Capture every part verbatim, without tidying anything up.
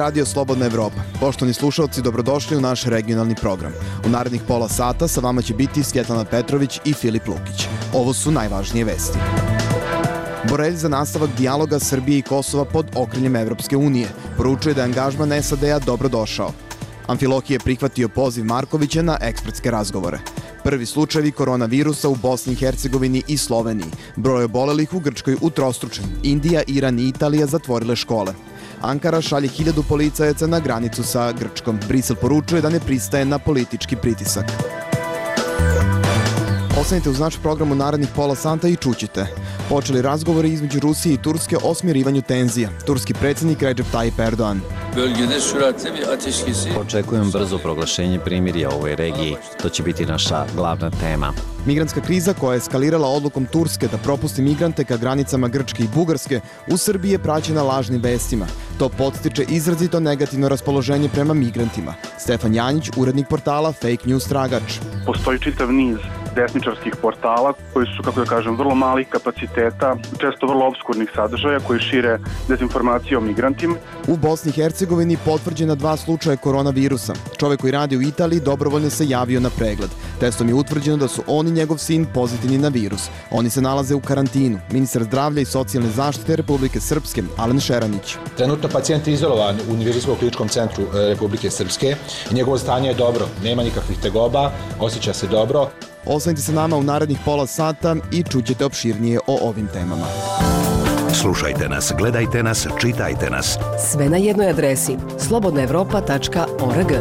radio Slobodna Evropa. Poštovani slušalci, dobrodošli u naš regionalni program. U narednih pola sata sa vama će biti Svjetlana Petrović i Filip Lukić. Ovo su najvažnije vesti. Borelj za nastavak dijaloga Srbije i Kosova pod okriljem Evropske unije. Poručuje da je angažman S A D-a dobrodošao. Amfilohije je prihvatio poziv Markovića na ekspertske razgovore. Prvi slučajevi koronavirusa u Bosni i Hercegovini i Sloveniji. Broj obolelih u Grčkoj utrostručen. Indija, Iran i Italija zatvorile škole. Ankara šalje hiljadu policajaca na granicu sa Grčkom. Brisel poručuje da ne pristaje na politički pritisak. Ostanite uz naš program u narednih pola sata i čućite. Počeli razgovori između Rusije i Turske o smirivanju tenzija. Turski predsjednik Recep Tayyip Erdoğan. Očekujem brzo proglašenje primirja u ovoj regiji. To će biti naša glavna tema. Migrantska kriza koja je eskalirala odlukom Turske da propusti migrante ka granicama Grčke i Bugarske u Srbiji je praćena lažnim vestima. To podstiče izrazito negativno raspoloženje prema migrantima. Stefan Janjić, urednik portala Fake News Tragač. Postoji čitav niz desničarskih portala koji su, kako da kažem, vrlo malih kapaciteta, često vrlo obskurnih sadržaja koji šire dezinformacije o migrantima. U Bosni i Hercegovini potvrđena dva slučaja koronavirusa. Čovjek koji radi u Italiji dobrovoljno se javio na pregled. Testom je utvrđeno da su on i njegov sin pozitivni na virus. Oni se nalaze u karantinu. Ministar zdravlja i socijalne zaštite Republike Srpske, Alen Šeranić. Trenutno pacijent je izolovan u Univerzijskom kliničkom centru Republike Srpske i njegovo stanje je dobro. Nema nikakvih tegoba, osjeća se dobro. Ostanite sa nama u narednih pola sata i čućete opširnije o ovim temama. Slušajte nas, gledajte nas, čitajte nas. Sve na jednoj adresi slobodna evropa tačka org.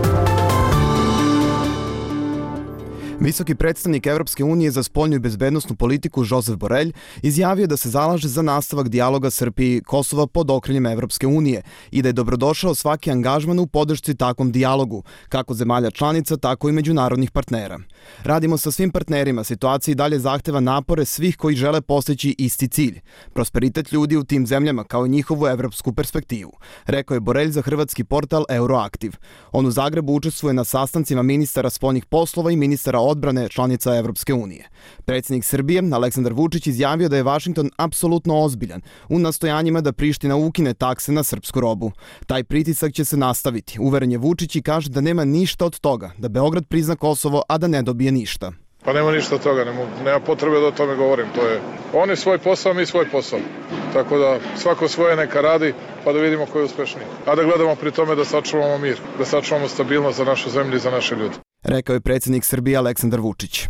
Visoki predstavnik Evropske unije za spoljnu i bezbednosnu politiku Josep Borelj izjavio da se zalaže za nastavak dijaloga Srbije i Kosova pod okriljem Evropske unije i da je dobrodošao svaki angažman u podršci takvom dijalogu, kako zemalja članica, tako i međunarodnih partnera. Radimo sa svim partnerima, situacija i dalje zahteva napore svih koji žele postići isti cilj, prosperitet ljudi u tim zemljama kao i njihovu evropsku perspektivu, rekao je Borelj za hrvatski portal Euroaktiv. On u Zagrebu učestvuje na sastancima ministara spoljnih poslova i ministara odbrane članica Evropske unije. Predsjednik Srbije, Aleksandar Vučić, izjavio da je Vašington apsolutno ozbiljan u nastojanjima da Priština ukine takse na srpsku robu. Taj pritisak će se nastaviti. Uveren je Vučić i kaže da nema ništa od toga, da Beograd prizna Kosovo, a da ne dobije ništa. Pa nema ništa od toga, nema, nema potrebe da o tome govorim. To je, oni svoj posao, mi svoj posao. Tako da svako svoje neka radi, pa da vidimo ko je uspešniji. A da gledamo pri tome da sačuvamo mir, da sačuvamo stabilnost za našu zemlju i za naše ljude. Rekao je predsjednik Srbije Aleksandar Vučić.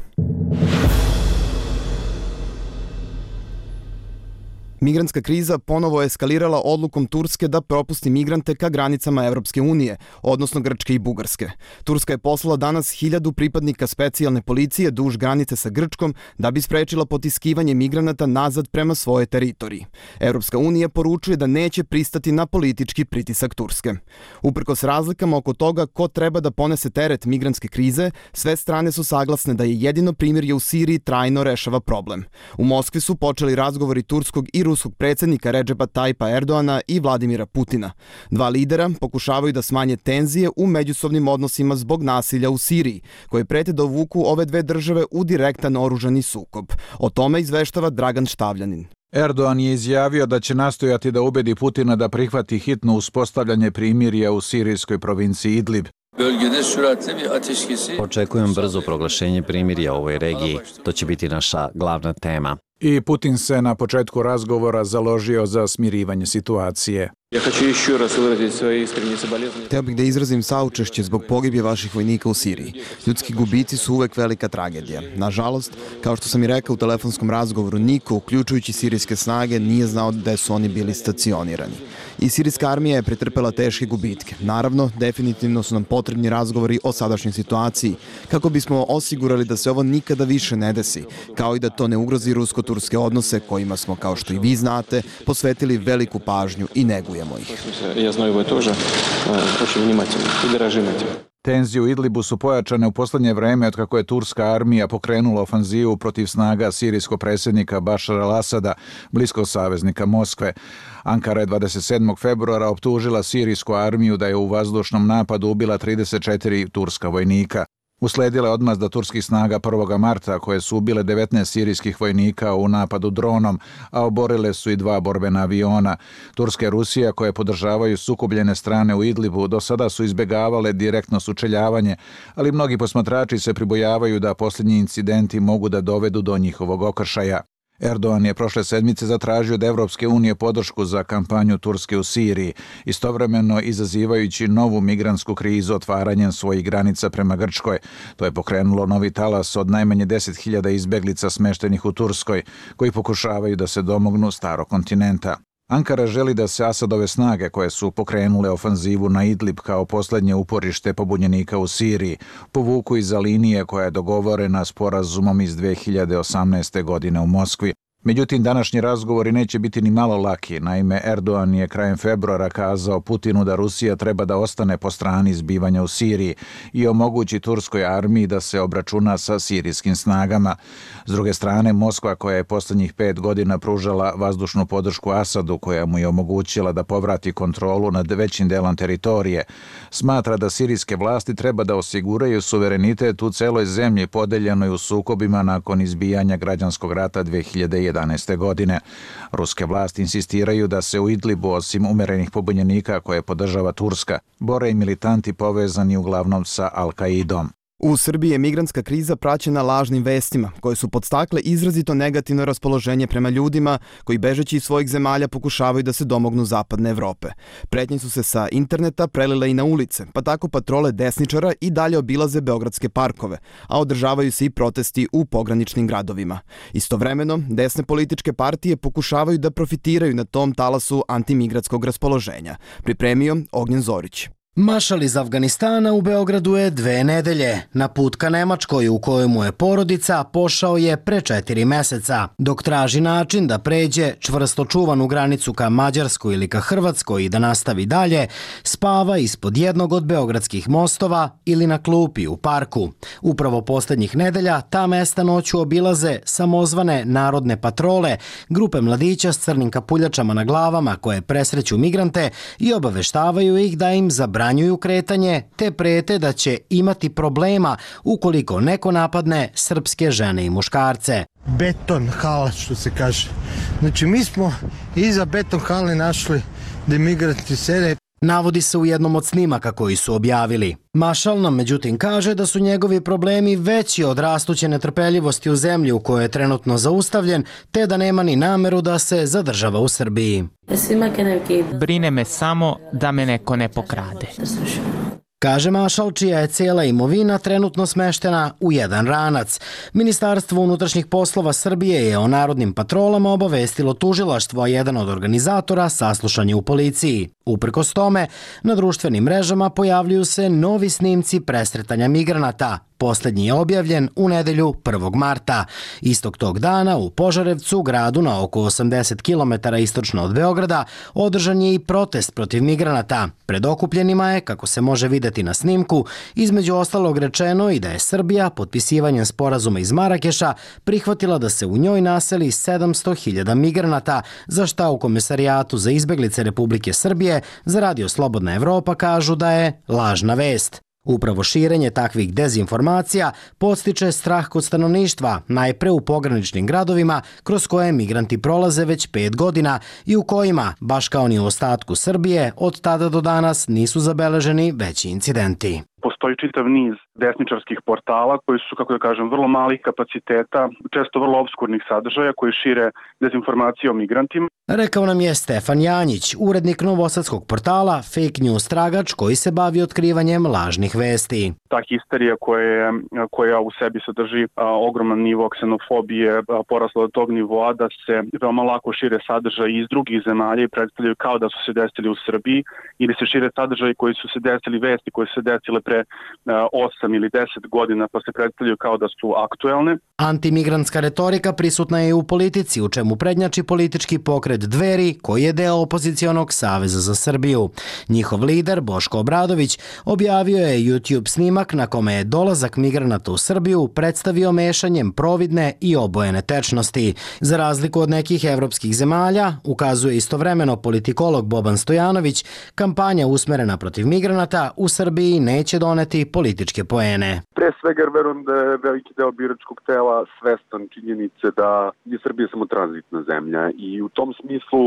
Migrantska kriza ponovo je eskalirala odlukom Turske da propusti migrante ka granicama Evropske unije, odnosno Grčke i Bugarske. Turska je poslala danas hiljadu pripadnika specijalne policije duž granice sa Grčkom da bi sprečila potiskivanje migranata nazad prema svoje teritoriji. Evropska unija poručuje da neće pristati na politički pritisak Turske. Uprkos razlikama oko toga ko treba da ponese teret migrantske krize, sve strane su saglasne da je jedino primirje u Siriji trajno rešava problem. U Moskvi su počeli razgovori turskog i ruskog predsjednika Recepa Tayyipa Erdoğana i Vladimira Putina. Dva lidera pokušavaju da smanje tenzije u međusobnim odnosima zbog nasilja u Siriji, koje prete da uvuku ove dve države u direktan oružani sukob. O tome izveštava Dragan Štavljanin. Erdoğan je izjavio da će nastojati da ubedi Putina da prihvati hitno uspostavljanje primirja u sirijskoj provinciji Idlib. Očekujem brzo proglašenje primirja u ovoj regiji. To će biti naša glavna tema. I Putin se na početku razgovora založio za smirivanje situacije. Hteo bih da izrazim saučešće zbog pogibije vaših vojnika u Siriji. Ljudski gubici su uvek velika tragedija. Nažalost, kao što sam i rekao u telefonskom razgovoru, niko, uključujući sirijske snage, nije znao gde su oni bili stacionirani. I sirijska armija je pretrpela teške gubitke. Naravno, definitivno su nam potrebni razgovori o sadašnjoj situaciji, kako bismo osigurali da se ovo nikada više ne desi, kao i da to ne ugrozi rusko-turske odnose kojima smo, kao što i vi znate, posvetili veliku pažnju i negujemo ih. Ja znaju ovo тоже очень внимательно и дорожим этим. Tenzije u Idlibu su pojačane u posljednje vreme od kako je turska armija pokrenula ofanzivu protiv snaga sirijskog predsjednika Bašara al-Asada, bliskog saveznika Moskve. Ankara je dvadeset sedmog februara optužila sirijsku armiju da je u vazdušnom napadu ubila trideset četiri turska vojnika. Usledila je odmazda turskih snaga prvog marta koje su ubile devetnaest sirijskih vojnika u napadu dronom, a oborile su i dva borbena aviona. Turska i Rusija, koje podržavaju sukobljene strane u Idlibu, do sada su izbegavale direktno sučeljavanje, ali mnogi posmatrači se pribojavaju da posljednji incidenti mogu da dovedu do njihovog okršaja. Erdogan je prošle sedmice zatražio od Evropske unije podršku za kampanju Turske u Siriji, istovremeno izazivajući novu migrantsku krizu otvaranjem svojih granica prema Grčkoj. To je pokrenulo novi talas od najmanje deset hiljada izbeglica smeštenih u Turskoj, koji pokušavaju da se domognu starog kontinenta. Ankara želi da se Asadove snage, koje su pokrenule ofanzivu na Idlib kao poslednje uporište pobunjenika u Siriji, povuku iza linije koja je dogovorena sporazumom iz dve hiljade osamnaeste. godine u Moskvi. Međutim, današnji razgovori neće biti ni malo laki. Naime, Erdogan je krajem februara kazao Putinu da Rusija treba da ostane po strani zbivanja u Siriji i omogući turskoj armiji da se obračuna sa sirijskim snagama. S druge strane, Moskva, koja je poslednjih pet godina pružala vazdušnu podršku Asadu, koja mu je omogućila da povrati kontrolu nad većim delom teritorije, smatra da sirijske vlasti treba da osiguraju suverenitet u celoj zemlji podeljenoj u sukobima nakon izbijanja građanskog rata dve hiljade jedanaeste. godine. Ruske vlasti insistiraju da se u Idlibu, osim umerenih pobunjenika koje podržava Turska, bore i militanti povezani uglavnom sa Al-Kaidom. U Srbiji je migrantska kriza praćena lažnim vestima, koje su podstakle izrazito negativno raspoloženje prema ljudima koji bežeći iz svojih zemalja pokušavaju da se domognu zapadne Evrope. Pretnje su se sa interneta prelile i na ulice, pa tako patrole desničara i dalje obilaze beogradske parkove, a održavaju se i protesti u pograničnim gradovima. Istovremeno, desne političke partije pokušavaju da profitiraju na tom talasu antimigratskog raspoloženja. Pripremio Ognjen Zorić. Mašal iz Afganistana u Beogradu je dve nedelje. Na put ka Nemačkoj, u kojoj mu je porodica, pošao je pre četiri meseca. Dok traži način da pređe čvrsto čuvanu granicu ka Mađarskoj ili ka Hrvatskoj i da nastavi dalje, spava ispod jednog od beogradskih mostova ili na klupi u parku. Upravo poslednjih nedelja ta mesta noću obilaze samozvane narodne patrole, grupe mladića s crnim kapuljačama na glavama koje presreću migrante i obaveštavaju ih da im zabranjuju Branjuju kretanje, te prete da će imati problema ukoliko neko napadne srpske žene i muškarce. Beton hala, što se kaže. Znači, mi smo iza beton hale našli da migranti sede. Navodi se u jednom od snimaka koji su objavili. Mašal nam međutim kaže da su njegovi problemi veći od rastuće netrpeljivosti u zemlji u kojoj je trenutno zaustavljen, te da nema ni nameru da se zadržava u Srbiji. Brine me samo da me neko ne pokrade. Kaže Mašal, čija je cijela imovina trenutno smeštena u jedan ranac. Ministarstvo unutrašnjih poslova Srbije je o narodnim patrolama obavestilo tužilaštvo, a jedan od organizatora saslušan je u policiji. Uprkos tome, na društvenim mrežama pojavljuju se novi snimci presretanja migranata. Poslednji je objavljen u nedelju prvog marta. Istog tog dana u Požarevcu, gradu na oko osamdeset kilometara istočno od Beograda, održan je i protest protiv migranata. Pred okupljenima je, kako se može videti na snimku, između ostalog rečeno i da je Srbija potpisivanjem sporazuma iz Marakeša prihvatila da se u njoj naseli sedamsto hiljada migranata, za šta u Komesarijatu za izbeglice Republike Srbije za Radio Slobodna Evropa kažu da je lažna vest. Upravo širenje takvih dezinformacija podstiče strah kod stanovništva, najpre u pograničnim gradovima kroz koje migranti prolaze već pet godina i u kojima, baš kao ni u ostatku Srbije, od tada do danas nisu zabeleženi veći incidenti. Postoji čitav niz desničarskih portala koji su, kako da kažem, vrlo malih kapaciteta, često vrlo obskurnih sadržaja koji šire dezinformacije o migrantima. Rekao nam je Stefan Janjić, urednik novosadskog portala Fake News Tragač, koji se bavi otkrivanjem lažnih vesti. Ta histerija koja, koja u sebi sadrži a, ogroman nivo ksenofobije a, porasla do tog nivoa da se veoma lako šire sadržaji iz drugih zemalja i predstavljaju kao da su se desili u Srbiji, ili se šire sadržaji koji su se desili, vesti koje su se desile pre osam ili deset godina pa se predstavljaju kao da su aktuelne. Antimigrantska retorika prisutna je i u politici, u čemu prednjači politički pokret Dveri, koji je deo opozicionog Saveza za Srbiju. Njihov lider, Boško Obradović, objavio je YouTube snimak na kome je dolazak migranata u Srbiju predstavio mešanjem providne i obojene tečnosti. Za razliku od nekih evropskih zemalja, ukazuje istovremeno politikolog Boban Stojanović, kampanja usmerena protiv migranata u Srbiji neće doneti doneti političke poene. Pre svega jer verujem da je veliki deo biračkog tela svestan činjenice da je Srbija samo tranzitna zemlja i u tom smislu,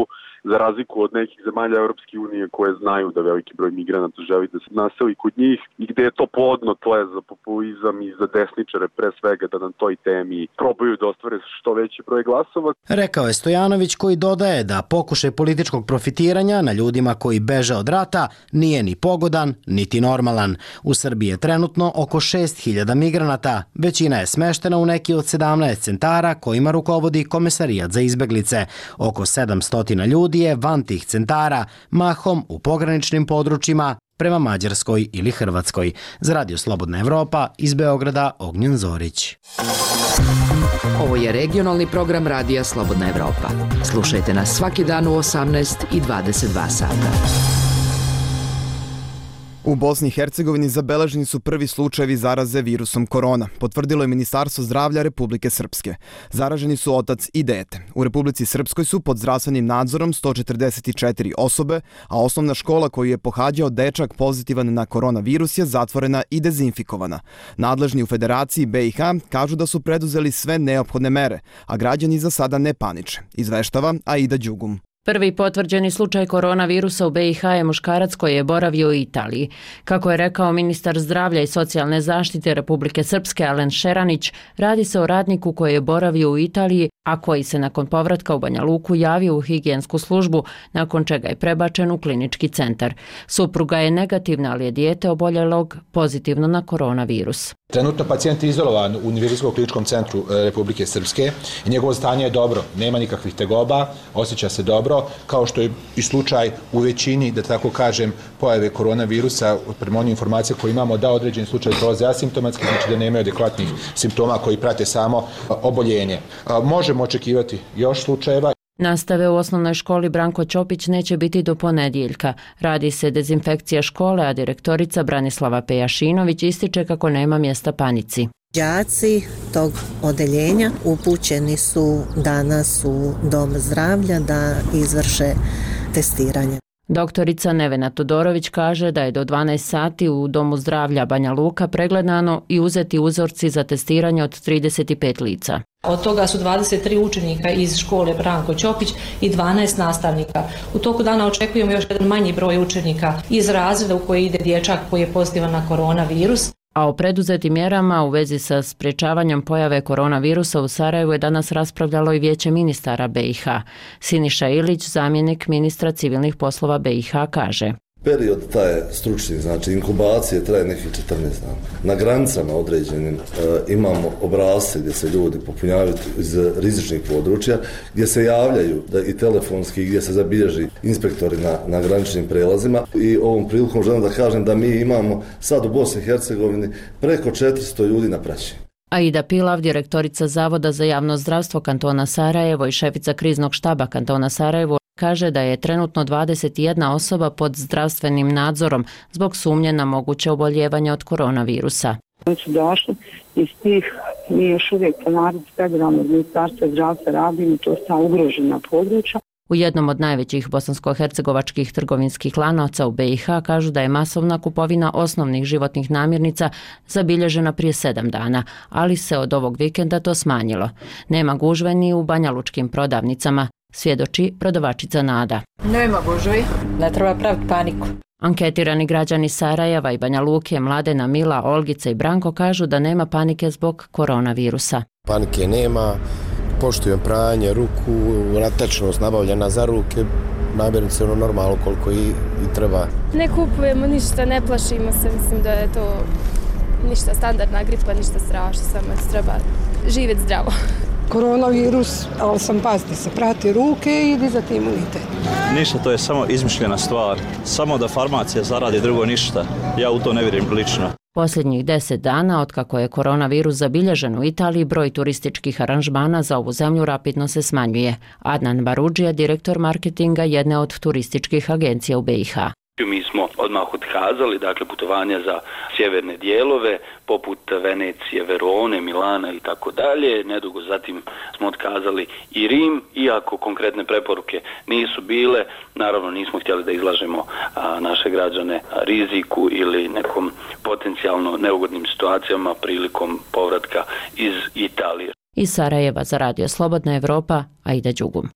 za razliku od nekih zemalja Europske unije koje znaju da veliki broj migranata želi da se naseli kod njih i gde je to plodno tle za populizam i za desničare pre svega da na toj temi probaju da ostvare što veći broj glasova. Rekao je Stojanović, koji dodaje da pokušaj političkog profitiranja na ljudima koji beže od rata nije ni pogodan niti normalan. U Srbiji je trenutno oko šest hiljada migranata. Većina je smeštena u neki od sedamnaest centara kojima rukovodi Komesarijat za izbeglice. Oko sedamsto ljudi je van tih centara, mahom u pograničnim područjima prema Mađarskoj ili Hrvatskoj. Za Radio Slobodna Evropa iz Beograda Ognjen Zorić. Ovo je regionalni program Radija Slobodna Evropa. Slušajte nas svaki dan u osamnaest i dvadeset dva sata. U Bosni i Hercegovini zabeleženi su prvi slučajevi zaraze virusom korona, potvrdilo je Ministarstvo zdravlja Republike Srpske. Zaraženi su otac i dete. U Republici Srpskoj su pod zdravstvenim nadzorom sto četrdeset četiri osobe, a osnovna škola koju je pohađao dečak pozitivan na koronavirus je zatvorena i dezinfikovana. Nadležni u Federaciji be i ha kažu da su preduzeli sve neophodne mere, a građani za sada ne paniče, izveštava Aida Đugum. Prvi potvrđeni slučaj koronavirusa u be i ha je muškarac koji je boravio u Italiji. Kako je rekao ministar zdravlja i socijalne zaštite Republike Srpske Alen Šeranić, radi se o radniku koji je boravio u Italiji, a koji se nakon povratka u Banja Luku javio u higijensku službu, nakon čega je prebačen u klinički centar. Supruga je negativna, ali je dijete oboljelog pozitivno na koronavirus. Trenutno pacijent je izolovan u Univerzijskom kliničkom centru Republike Srpske i njegovo stanje je dobro, nema nikakvih tegoba, osjeća se dobro, kao što je i slučaj u većini, da tako kažem, pojave koronavirusa, prema onim informacijama koje imamo, da određeni slučaj prolaze asimptomatski, znači da nemaju adekvatnih simptoma koji prate samo oboljenje. Možemo očekivati još slučajeva. Nastave u osnovnoj školi Branko Ćopić neće biti do ponedjeljka. Radi se dezinfekcija škole, a direktorica Branislava Pejašinović ističe kako nema mjesta panici. Đaci tog odeljenja upućeni su danas u dom zdravlja da izvrše testiranje. Doktorica Nevena Todorović kaže da je do dvanaest sati u Domu zdravlja Banja Luka pregledano i uzeti uzorci za testiranje od trideset pet lica. Od toga su dvadeset tri učenika iz škole Branko Ćopić i dvanaest nastavnika. U toku dana očekujemo još jedan manji broj učenika iz razreda u koji ide dječak koji je pozitivan na koronavirus. A o preduzetim mjerama u vezi sa sprječavanjem pojave koronavirusa u Sarajevu je danas raspravljalo i Vijeće ministara be i ha. Siniša Ilić, zamjenik ministra civilnih poslova be i ha, kaže: Period taj stručni, znači inkubacije traje nekih četrnaest dana. Na granicama određenim e, imamo obrasce gdje se ljudi popunjavaju iz rizičnih područja, gdje se javljaju da i telefonski, gdje se zabilježi inspektori na, na graničnim prelazima. I ovom prilikom želim da kažem da mi imamo sad u Bosni i Hercegovini preko četiristo ljudi na praćenju. Aida Pilav, direktorica Zavoda za javno zdravstvo kantona Sarajevo i šefica kriznog štaba kantona Sarajevo, kaže da je trenutno dvadeset jedna osoba pod zdravstvenim nadzorom zbog sumnje na moguće oboljevanje od koronavirusa. Oni su došli iz tih, mi još uvijek ponavljamo federalnog ministarstva zdravstva radimo, to sta ugrožena područja. U jednom od najvećih bosansko-hercegovačkih trgovinskih lanaca u be i ha kažu da je masovna kupovina osnovnih životnih namirnica zabilježena prije sedam dana, ali se od ovog vikenda to smanjilo. Nema gužve ni u banjalučkim prodavnicama, svjedoči prodavačica Nada. Nema gužvi, ne treba praviti paniku. Anketirani građani Sarajeva i Banja Luke, Mladena, Mila, Olgica i Branko kažu da nema panike zbog koronavirusa. Panike nema. Poštujem pranje ruku, natečnost nabavljena za ruke, namirnice ono normalno koliko i, i treba. Ne kupujemo ništa, ne plašimo se, mislim da je to ništa standardna gripa, ništa strašno, samo treba živjeti zdravo. Koronavirus, ali sam paziti se, prati ruke i dizati imunitet. Ništa, to je samo izmišljena stvar, samo da farmacija zaradi, drugo ništa. Ja u to ne vjerujem lično. Posljednjih deset dana, otkako je koronavirus zabilježen u Italiji, broj turističkih aranžmana za ovu zemlju rapidno se smanjuje. Adnan Barudžija, direktor marketinga jedne od turističkih agencija u be i ha. Mi smo odmah otkazali, dakle, putovanja za sjeverne dijelove, poput Venecije, Verone, Milana i tako dalje. Nedugo zatim smo otkazali i Rim, iako konkretne preporuke nisu bile. Naravno, nismo htjeli da izlažemo a, naše građane riziku ili nekom potencijalno neugodnim situacijama prilikom povratka iz Italije. Iz Sarajeva za Radio Slobodna Evropa, Aida Đugum.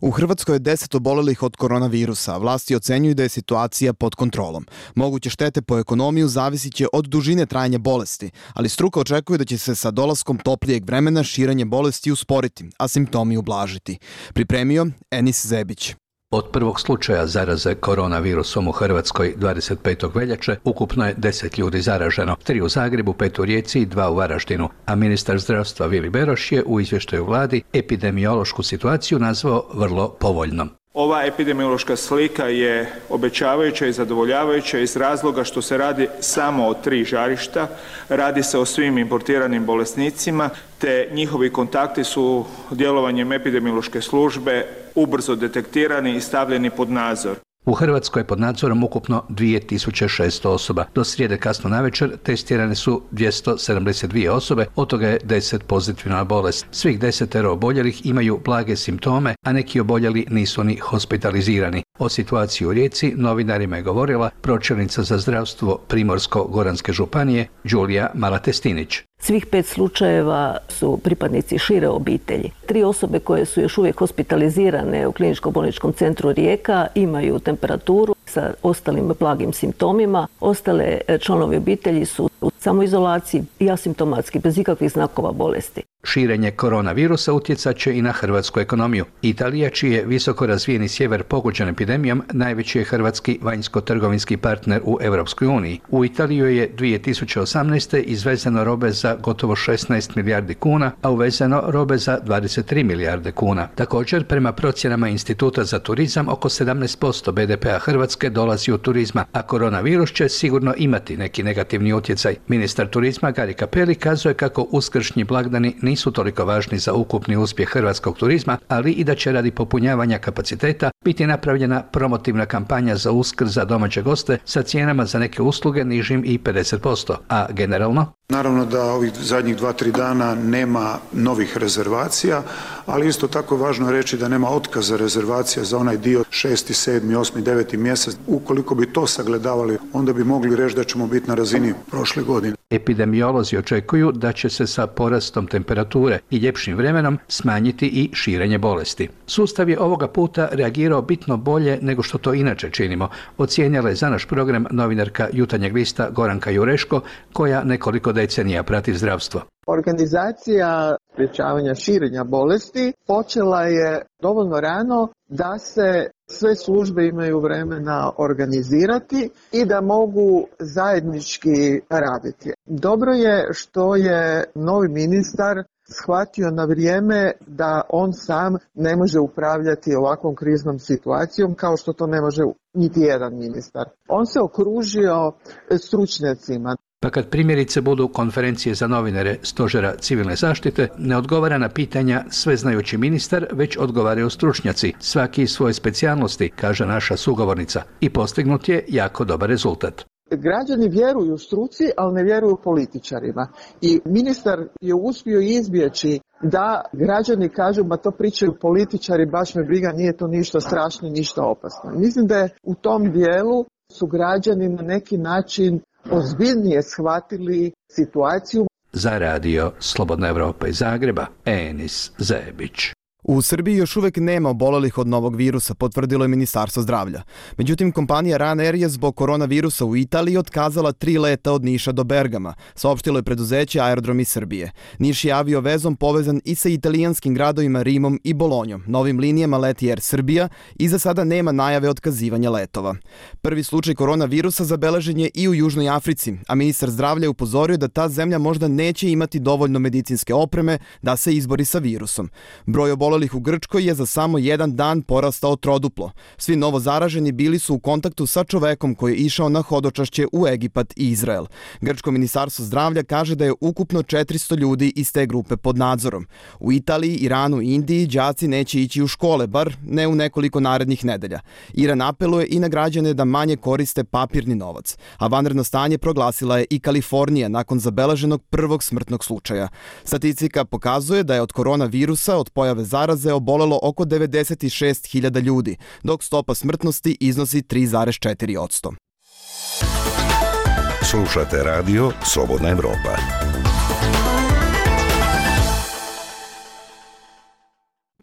U Hrvatskoj je deset obolelih od koronavirusa, a vlasti ocenjuju da je situacija pod kontrolom. Moguće štete po ekonomiju zavisit će od dužine trajanja bolesti, ali struka očekuje da će se sa dolaskom toplijeg vremena širenje bolesti usporiti, a simptomi ublažiti. Pripremio Enis Zebić. Od prvog slučaja zaraze koronavirusom u Hrvatskoj dvadeset petog veljače ukupno je deset ljudi zaraženo, tri u Zagrebu, pet u Rijeci i dva u Varaždinu, a ministar zdravstva Vili Beroš je u izvještaju vladi epidemiološku situaciju nazvao vrlo povoljnom. Ova epidemiološka slika je obećavajuća i zadovoljavajuća iz razloga što se radi samo o tri žarišta, radi se o svim importiranim bolesnicima, te njihovi kontakti su djelovanjem epidemiološke službe ubrzo detektirani i stavljeni pod nadzor. U Hrvatskoj je pod nadzorom ukupno dvije tisuće šesto osoba. Do srijede kasno navečer testirane su dvjesto sedamdeset dvije osobe, od toga je deset pozitivna na bolest. Svih desetero oboljelih imaju blage simptome, a neki oboljeli nisu ni hospitalizirani. O situaciji u Rijeci novinarima je govorila pročelnica za zdravstvo Primorsko-goranske županije Đulija Malatestinić. Svih pet slučajeva su pripadnici šire obitelji. Tri osobe koje su još uvijek hospitalizirane u kliničko-bolničkom centru Rijeka imaju temperaturu sa ostalim blagim simptomima. Ostale članovi obitelji su u samoizolaciji i asimptomatski, bez ikakvih znakova bolesti. Širenje koronavirusa utjecat će i na hrvatsku ekonomiju. Italija, čiji je visoko razvijeni sjever pogođen epidemijom, najveći je hrvatski vanjsko-trgovinski partner u Europskoj uniji. U Italiju je dvije tisuće osamnaeste. izvezeno robe za gotovo šesnaest milijardi kuna, a uvezeno robe za dvadeset tri milijarde kuna. Također, prema procjenama Instituta za turizam, oko sedamnaest posto be de pea Hrvatske dolazi od turizma, a koronavirus će sigurno imati neki negativni utjecaj. Ministar turizma Gari Cappelli kazuje kako uskršnji blagdani nisu toliko važni za ukupni uspjeh hrvatskog turizma, ali i da će radi popunjavanja kapaciteta biti napravljena promotivna kampanja za Uskrs za domaće goste sa cijenama za neke usluge nižim i pedeset posto, a generalno? Naravno da ovih zadnjih dva, tri dana nema novih rezervacija, ali isto tako je važno reći da nema otkaza rezervacija za onaj dio šesti, sedmi, osmi, deveti mjesec. Ukoliko bi to sagledavali, onda bi mogli reći da ćemo biti na razini prošle godine. Epidemiolozi očekuju da će se sa porastom temperature i ljepšim vremenom smanjiti i širenje bolesti. Sustav je ovoga puta reagirao bitno bolje nego što to inače činimo, ocijenila je za naš program novinarka Jutarnjeg lista Goranka Jureško, koja nekoliko decenija prati zdravstvo. Organizacija sprječavanja širenja bolesti počela je dovoljno rano da se sve službe imaju vremena organizirati i da mogu zajednički raditi. Dobro je što je novi ministar shvatio na vrijeme da on sam ne može upravljati ovakvom kriznom situacijom kao što to ne može niti jedan ministar. On se okružio stručnjacima. Pa kad primjerice budu konferencije za novinare Stožera civilne zaštite, ne odgovara na pitanja sveznajući ministar, već odgovaraju stručnjaci, svaki iz svoje specijalnosti, kaže naša sugovornica. I postignut je jako dobar rezultat. Građani vjeruju struci, ali ne vjeruju političarima. I ministar je uspio izbjeći da građani kažu, ma to pričaju političari, baš me briga, nije to ništa strašno, ništa opasno. Mislim da je u tom dijelu su građani na neki način ozbiljnije shvatili situaciju. Za radio Slobodna Evropa iz Zagreba, Enis Zebić. U Srbiji još uvijek nema obolelih od novog virusa, potvrdilo je Ministarstvo zdravlja. Međutim, kompanija Ryanair je zbog koronavirusa u Italiji otkazala tri leta od Niša do Bergama, saopštilo je preduzeće Aerodromi Srbije. Niš je avio vezom povezan i sa italijanskim gradovima Rimom i Bolonjom. Novim linijama leti Air Srbija i za sada nema najave otkazivanja letova. Prvi slučaj koronavirusa zabeležen je i u Južnoj Africi, a ministar zdravlja je upozorio da ta zemlja možda neće imati dovoljno medicinske opreme da se izbori sa virusom. Broj obolelih obolelih u Grčkoj je za samo jedan dan porastao troduplo. Svi novo zaraženi bili su u kontaktu sa čovekom koji je išao na hodočašće u Egipat i Izrael. Grčko ministarstvo zdravlja kaže da je ukupno četiristo ljudi iz te grupe pod nadzorom. U Italiji, Iranu i Indiji đaci neće ići u škole, bar ne u nekoliko narednih nedelja. Iran apeluje i na građane da manje koriste papirni novac, a vanredno stanje proglasila je i Kalifornija nakon zabeleženog prvog smrtnog slučaja. Statistika pokazuje da je od koronavirusa od pojave zaraze obolelo oko devedeset šest hiljada ljudi, dok stopa smrtnosti iznosi tri zarez četiri posto. Slušate radio Slobodna Evropa.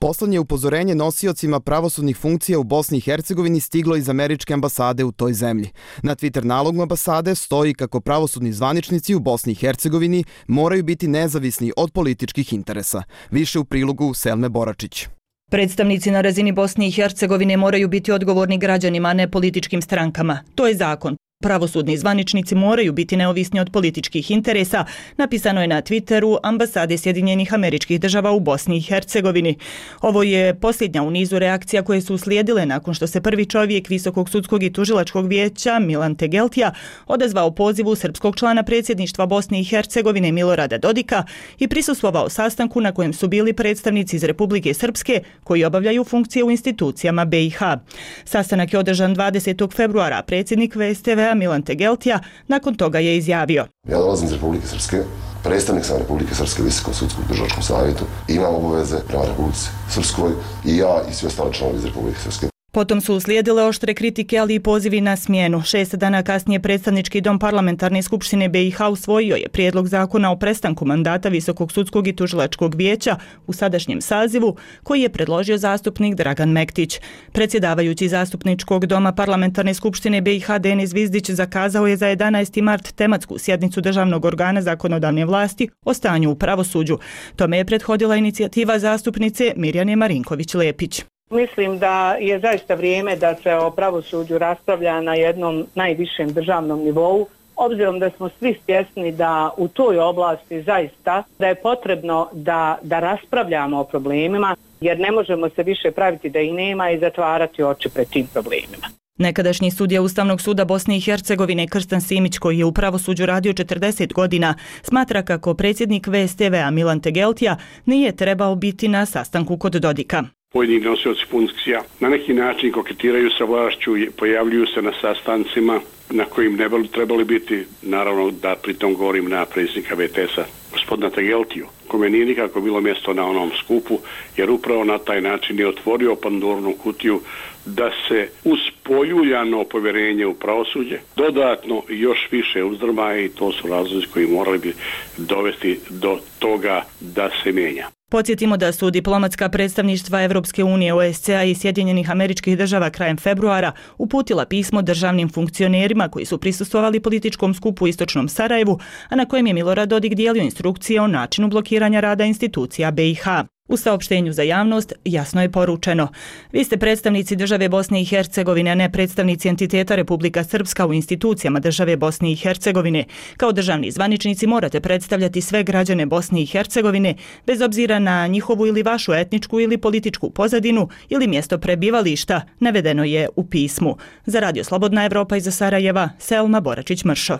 Poslednje upozorenje nosiocima pravosudnih funkcija u Bosni i Hercegovini stiglo iz američke ambasade u toj zemlji. Na Twitter nalogu ambasade stoji kako pravosudni zvaničnici u Bosni i Hercegovini moraju biti nezavisni od političkih interesa. Više u prilogu Selme Boračić. Predstavnici na razini Bosne i Hercegovine moraju biti odgovorni građanima, a ne političkim strankama. To je zakon. Pravosudni zvaničnici moraju biti neovisni od političkih interesa, napisano je na Twitteru ambasade Sjedinjenih Američkih Država u Bosni i Hercegovini. Ovo je posljednja u nizu reakcija koje su uslijedile nakon što se prvi čovjek Visokog sudskog i tužilačkog vijeća Milan Tegeltija odazvao pozivu srpskog člana predsjedništva Bosne i Hercegovine Milorada Dodika i prisustvovao sastanku na kojem su bili predstavnici iz Republike Srpske koji obavljaju funkcije u institucijama B i H. Sastanak je održan dvadesetog februara, predsjednik V S T V Milan Tegeltija nakon toga je izjavio: Ja dolazim iz Republike Srpske, predstavnik sam Republike Srpske Visokom sudskom državnom savjetu, imam obaveze prema Republici Srpskoj i ja i svi ostali članovi iz Republike Srpske. Potom su uslijedile oštre kritike, ali i pozivi na smjenu. Šest dana kasnije predstavnički dom parlamentarne skupštine B i H usvojio je prijedlog zakona o prestanku mandata Visokog sudskog i tužilačkog vijeća u sadašnjem sazivu, koji je predložio zastupnik Dragan Mektić. Predsjedavajući zastupničkog doma parlamentarne skupštine B i H Denis Vizdić zakazao je za jedanaesti mart tematsku sjednicu državnog organa zakonodavne vlasti o stanju u pravosuđu. Tome je prethodila inicijativa zastupnice Mirjane Marinković-Lepić. Mislim da je zaista vrijeme da se o pravosuđu raspravlja na jednom najvišem državnom nivou, obzirom da smo svi svjesni da u toj oblasti zaista da je potrebno da, da raspravljamo o problemima, jer ne možemo se više praviti da ih nema i zatvarati oči pred tim problemima. Nekadašnji sudija Ustavnog suda Bosne i Hercegovine Krstan Simić, koji je u pravosuđu radio četrdeset godina, smatra kako predsjednik V S T V-a Milan Tegeltija nije trebao biti na sastanku kod Dodika. Pojedini nosioci funkcija na neki način koketiraju sa vlašću, pojavljuju se na sastancima na kojim ne bi trebali biti, naravno da pritom govorim na predsjednika V T S-a, gospodina Tegeltiju, kome nije nikako bilo mjesto na onom skupu, jer upravo na taj način je otvorio Pandorinu kutiju da se uz poljuljano povjerenje u pravosuđe dodatno još više uzdrma, i to su razlozi koji morali bi dovesti do toga da se mijenja. Podsjetimo da su diplomatska predstavništva Evropske unije, O S C A i Sjedinjenih Američkih Država krajem februara uputila pismo državnim funkcionerima koji su prisustvovali političkom skupu u istočnom Sarajevu, a na kojem je Milorad Dodik dijelio instrukcije o načinu blokiranja rada institucija B i H. U saopštenju za javnost jasno je poručeno: vi ste predstavnici države Bosne i Hercegovine, a ne predstavnici entiteta Republika Srpska u institucijama države Bosne i Hercegovine. Kao državni zvaničnici morate predstavljati sve građane Bosne i Hercegovine, bez obzira na njihovu ili vašu etničku ili političku pozadinu ili mjesto prebivališta, navedeno je u pismu. Za Radio Slobodna Evropa iz Sarajeva, Selma Boračić-Mršo.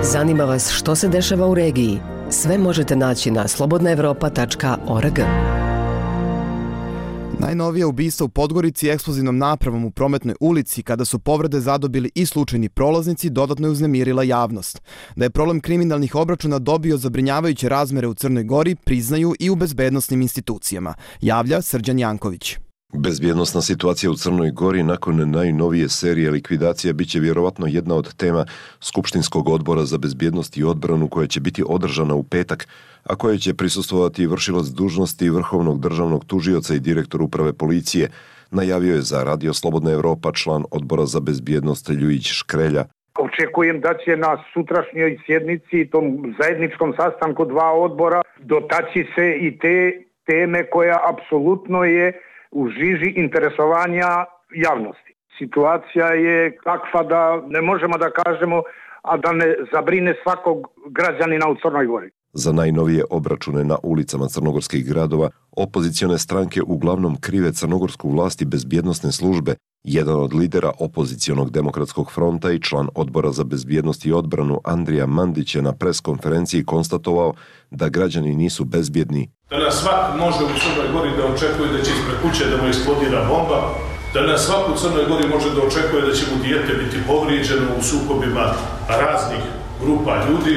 Zanima vas što se dešava u regiji? Sve možete naći na slobodna evropa tačka org. Najnovije ubistvo u Podgorici eksplozivnom napravom u Prometnoj ulici, kada su povrede zadobili i slučajni prolaznici, dodatno je uznemirila javnost. Da je problem kriminalnih obračuna dobio zabrinjavajuće razmere u Crnoj Gori, priznaju i u bezbednosnim institucijama, javlja Srđan Janković. Bezbjednosna situacija u Crnoj Gori nakon najnovije serije likvidacija biće vjerovatno jedna od tema Skupštinskog odbora za bezbjednost i odbranu, koja će biti održana u petak, a koje će prisustvovati vršilac dužnosti Vrhovnog državnog tužioca i direktor uprave policije, najavio je za Radio Slobodna Evropa član odbora za bezbjednost Ljujić Škrelja. Očekujem da će na sutrašnjoj sjednici, tom zajedničkom sastanku dva odbora, dotaći se i te teme koja apsolutno je u žiži interesovanja javnosti. Situacija je takva da ne možemo da kažemo, a da ne zabrine svakog građanina u Crnoj Gori. Za najnovije obračune na ulicama crnogorskih gradova opozicione stranke uglavnom krive crnogorsku vlast i bezbjednosne službe. Jedan od lidera opozicionog demokratskog fronta i član odbora za bezbjednost i odbranu Andrija Mandić je na preskonferenciji konstatovao da građani nisu bezbjedni. Danas svak može u Crnoj Gori da očekuje da će ispred kuće da mu eksplodira bomba, danas svak u Crnoj Gori može da očekuje da će mu dijete biti povrijeđeno u sukobima raznih grupa ljudi.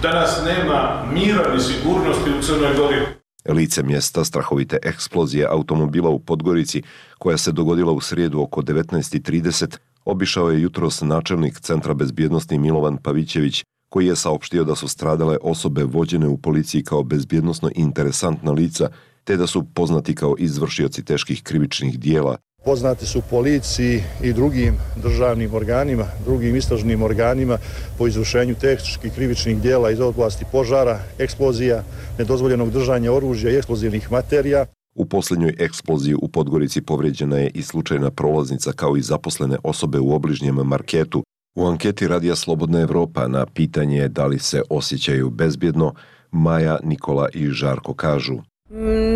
Danas nema mira ni sigurnosti u Crnoj Gori. Lice mjesta strahovite eksplozije automobila u Podgorici, koja se dogodila u srijedu oko devetnaest i trideset, obišao je jutros načelnik Centra bezbjednosti Milovan Pavićević, koji je saopštio da su stradale osobe vođene u policiji kao bezbjednosno interesantna lica, te da su poznati kao izvršioci teških krivičnih dijela. Poznati su policiji i drugim državnim organima, drugim istražnim organima po izvršenju teških krivičnih dijela iz oblasti požara, eksplozija, nedozvoljenog držanja oružja i eksplozivnih materija. U posljednjoj eksploziji u Podgorici povrijeđena je i slučajna prolaznica kao i zaposlene osobe u obližnjem marketu. U anketi Radija Slobodna Evropa na pitanje da li se osjećaju bezbjedno, Maja, Nikola i Žarko kažu: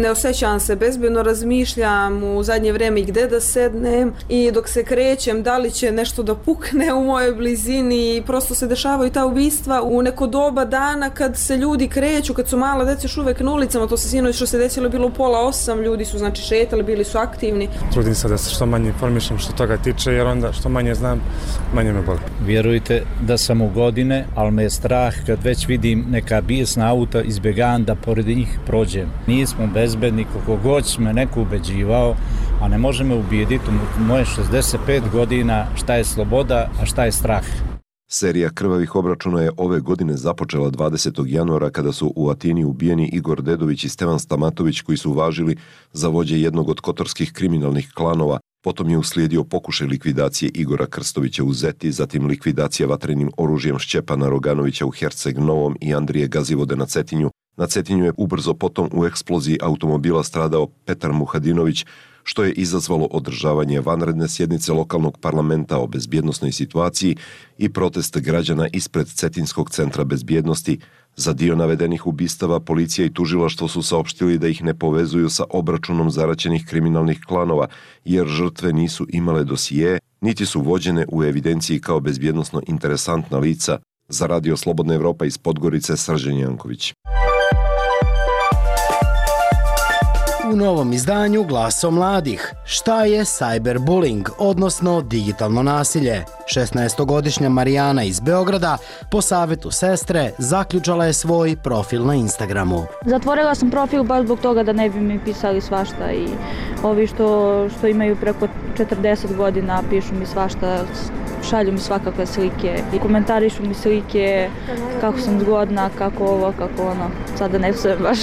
Ne osjećam se bezbjedno, razmišljam u zadnje vrijeme i gdje da sednem i dok se krećem da li će nešto da pukne u mojoj blizini i prosto se dešavaju ta ubistva u neko doba dana kad se ljudi kreću, kad su mala djeca još uvek na ulicama, to se sinoć što se desilo bilo u pola osam, ljudi su znači šetali, bili su aktivni. Trudim se da se što manje informišem što toga tiče, jer onda što manje znam, manje me boli. Vjerujte da sam u godine, ali me je strah kad već vidim neka bijesna auta, izbjegavam da pored njih prođem. Nismo bezbedni, koliko god me neko ubeđivao, a ne može me ubijediti u moje šezdeset pet godina šta je sloboda, a šta je strah. Serija krvavih obračuna je ove godine započela dvadesetog januara kada su u Atini ubijeni Igor Dedović i Stevan Stamatović, koji su važili za vođe jednog od kotorskih kriminalnih klanova. Potom je uslijedio pokušaj likvidacije Igora Krstovića u Zeti, zatim likvidacija vatrenim oružjem Šćepana Roganovića u Herceg Novom i Andrije Gazivode na Cetinju. Na Cetinju je ubrzo potom u eksploziji automobila stradao Petar Muhadinović, što je izazvalo održavanje vanredne sjednice lokalnog parlamenta o bezbjednosnoj situaciji i protest građana ispred Cetinskog centra bezbjednosti. Za dio navedenih ubistava policija i tužilaštvo su saopštili da ih ne povezuju sa obračunom zaraćenih kriminalnih klanova, jer žrtve nisu imale dosije, niti su vođene u evidenciji kao bezbjednosno interesantna lica. Za Radio Slobodna Evropa iz Podgorice, Srđan Janković. U novom izdanju Glaso mladih. Šta je cyberbullying, odnosno digitalno nasilje? šesnaestogodišnja Marijana iz Beograda po savjetu sestre zaključala je svoj profil na Instagramu. Zatvorila sam profil baš zbog toga da ne bi mi pisali svašta i ovi što, što imaju preko četrdeset godina pišu mi svašta, šalju mi svakakve slike i komentarišu mi slike kako sam zgodna, kako ovo, kako ono. Sada ne sve baš.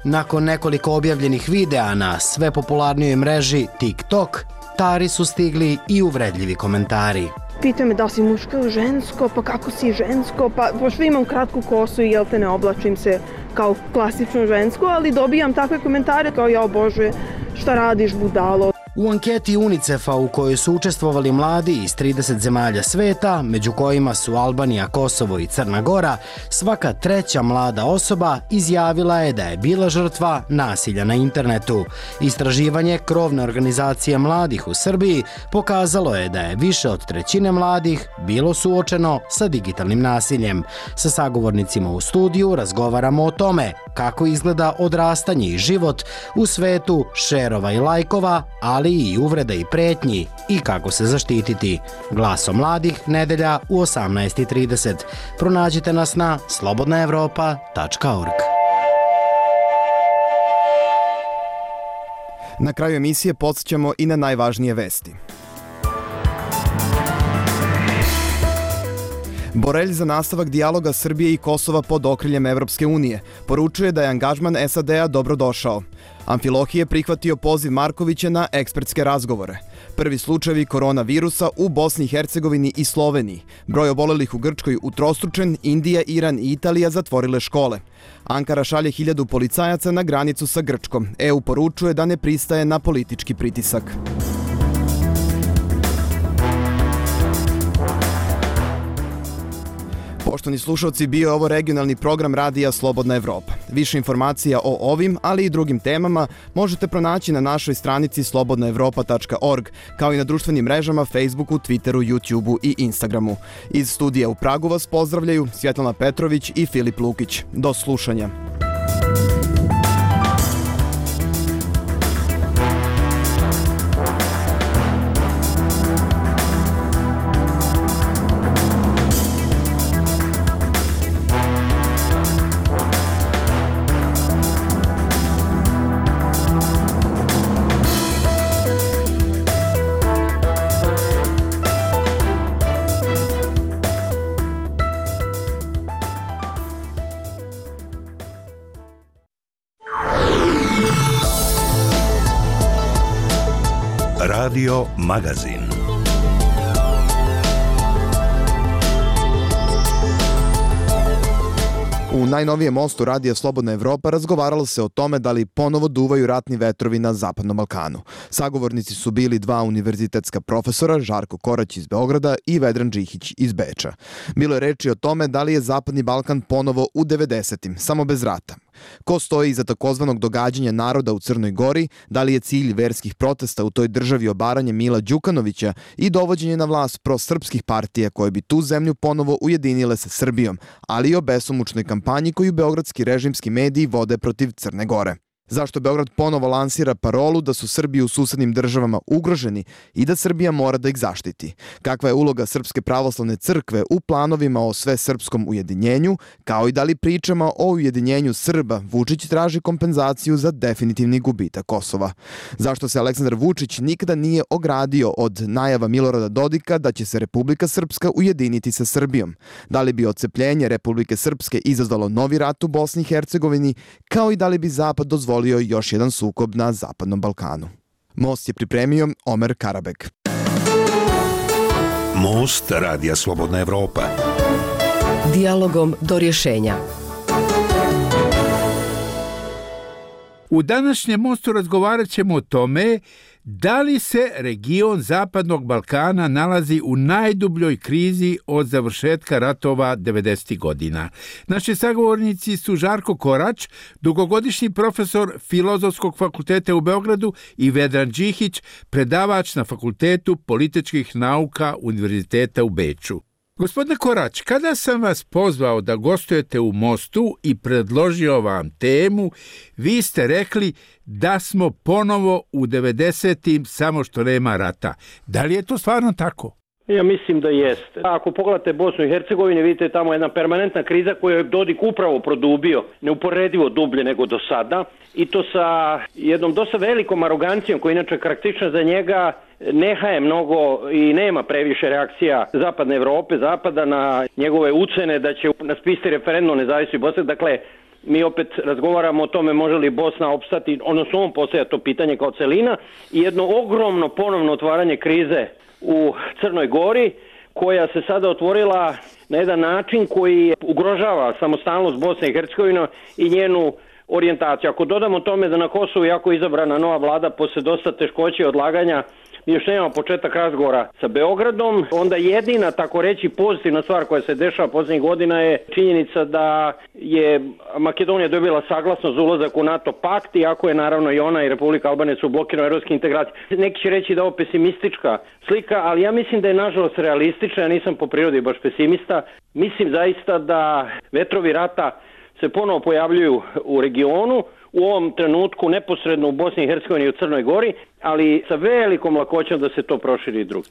Nakon nekoliko objavljenih videa na sve popularnijoj mreži TikTok, Tari su stigli i uvredljivi komentari. Pitaju me da si muško ili žensko, pa kako si žensko, pa pošto imam kratku kosu i jel te ne oblačim se kao klasično žensko, ali dobijam takve komentare kao ja Bože, šta radiš budalo. U anketi UNICEF-a u kojoj su učestvovali mladi iz trideset zemalja sveta, među kojima su Albanija, Kosovo i Crna Gora, svaka treća mlada osoba izjavila je da je bila žrtva nasilja na internetu. Istraživanje krovne organizacije mladih u Srbiji pokazalo je da je više od trećine mladih bilo suočeno sa digitalnim nasiljem. Sa sagovornicima u studiju razgovaramo o tome kako izgleda odrastanje i život u svetu šerova i lajkova, ali i uvreda i pretnji i kako se zaštititi. Glaso mladih, nedelja u osamnaest i trideset. Pronađite nas na slobodna evropa tačka org. Na kraju emisije podsjećamo i na najvažnije vesti. Borelj za nastavak dijaloga Srbije i Kosova pod okriljem Evropske unije poručuje da je angažman S A D-a dobrodošao. Amfilohi je prihvatio poziv Markovića na ekspertske razgovore. Prvi slučajevi koronavirusa u Bosni i Hercegovini i Sloveniji. Broj obolelih u Grčkoj utrostručen, Indija, Iran i Italija zatvorile škole. Ankara šalje hiljadu policajaca na granicu sa Grčkom. E U poručuje da ne pristaje na politički pritisak. Poštovani slušalci, bio je ovo regionalni program Radija Slobodna Evropa. Više informacija o ovim, ali i drugim temama možete pronaći na našoj stranici slobodna evropa tačka org, kao i na društvenim mrežama Facebooku, Twitteru, YouTubeu i Instagramu. Iz studija u Pragu vas pozdravljaju Svjetlana Petrović i Filip Lukić. Do slušanja. Radio Magazin. U najnovijem mostu Radija Slobodna Evropa razgovaralo se o tome da li ponovo duvaju ratni vetrovi na Zapadnom Balkanu. Sagovornici su bili dva univerzitetska profesora, Žarko Korać iz Beograda i Vedran Džihić iz Beča. Bilo je reči o tome da li je Zapadni Balkan ponovo u devedesetim, samo bez rata. Ko stoji iza takozvanog događanja naroda u Crnoj Gori, da li je cilj verskih protesta u toj državi obaranje Mila Đukanovića i dovođenje na vlast prosrpskih partija koje bi tu zemlju ponovo ujedinile sa Srbijom, ali i o besomučnoj kampanji koju beogradski režimski mediji vode protiv Crne Gore. Zašto Beograd ponovo lansira parolu da su Srbi u susednim državama ugroženi i da Srbija mora da ih zaštiti? Kakva je uloga Srpske pravoslavne crkve u planovima o svesrpskom ujedinjenju, kao i da li pričama o ujedinjenju Srba Vučić traži kompenzaciju za definitivni gubitak Kosova? Zašto se Aleksandar Vučić nikada nije ogradio od najava Milorada Dodika da će se Republika Srpska ujediniti sa Srbijom? Da li bi odcepljenje Republike Srpske izazvalo novi rat u Bosni i Hercegovini, kao i da li bi Zapad dozvolio još jedan sukob na Zapadnom Balkanu? Most je pripremio Omer Karabek. Most Radija Slobodna Evropa. Dijalogom do rješenja. U današnjem mostu razgovarat ćemo o tome da li se region Zapadnog Balkana nalazi u najdubljoj krizi od završetka ratova devedesetih godina. Naši sagovornici su Žarko Korać, dugogodišnji profesor Filozofskog fakulteta u Beogradu, i Vedran Džihić, predavač na Fakultetu političkih nauka Univerziteta u Beču. Gospodine Korać, kada sam vas pozvao da gostujete u Mostu i predložio vam temu, vi ste rekli da smo ponovo u devedesetim, samo što nema rata. Da li je to stvarno tako? Ja mislim da jeste. Ako pogledate Bosnu i Hercegovinu, vidite tamo jedna permanentna kriza koju je Dodik upravo produbio, neuporedivo dublje nego do sada, i to sa jednom dosta velikom arogancijom koja je inače karakteristična za njega. Nehaje mnogo i nema previše reakcija Zapadne Evrope, Zapada na njegove ucene da će raspisati referendum o nezavisnosti Bosne. Dakle, mi opet razgovaramo o tome može li Bosna opstati, odnosno on postavlja to pitanje kao celina, i jedno ogromno ponovno otvaranje krize u Crnoj Gori, koja se sada otvorila na jedan način koji ugrožava samostalnost Bosne i Hercegovine i njenu orijentaciju. Ako dodamo tome da na Kosovu jako izabrana nova vlada posle dosta teškoće i odlaganja, mi još nemamo početak razgovora sa Beogradom, onda jedina, tako reći, pozitivna stvar koja se dešava posljednjih godina je činjenica da je Makedonija dobila saglasnost za ulazak u NATO pakt, iako je naravno i ona i Republika Albanija su blokirane evropske integracije. Neki će reći da je ovo pesimistička slika, ali ja mislim da je nažalost realistična, ja nisam po prirodi baš pesimista. Mislim zaista da vetrovi rata se ponovo pojavljuju u regionu, u ovom trenutku neposredno u Bosni i Hercegovini i u Crnoj Gori, ali sa velikom lakoćom da se to proširi i drugi.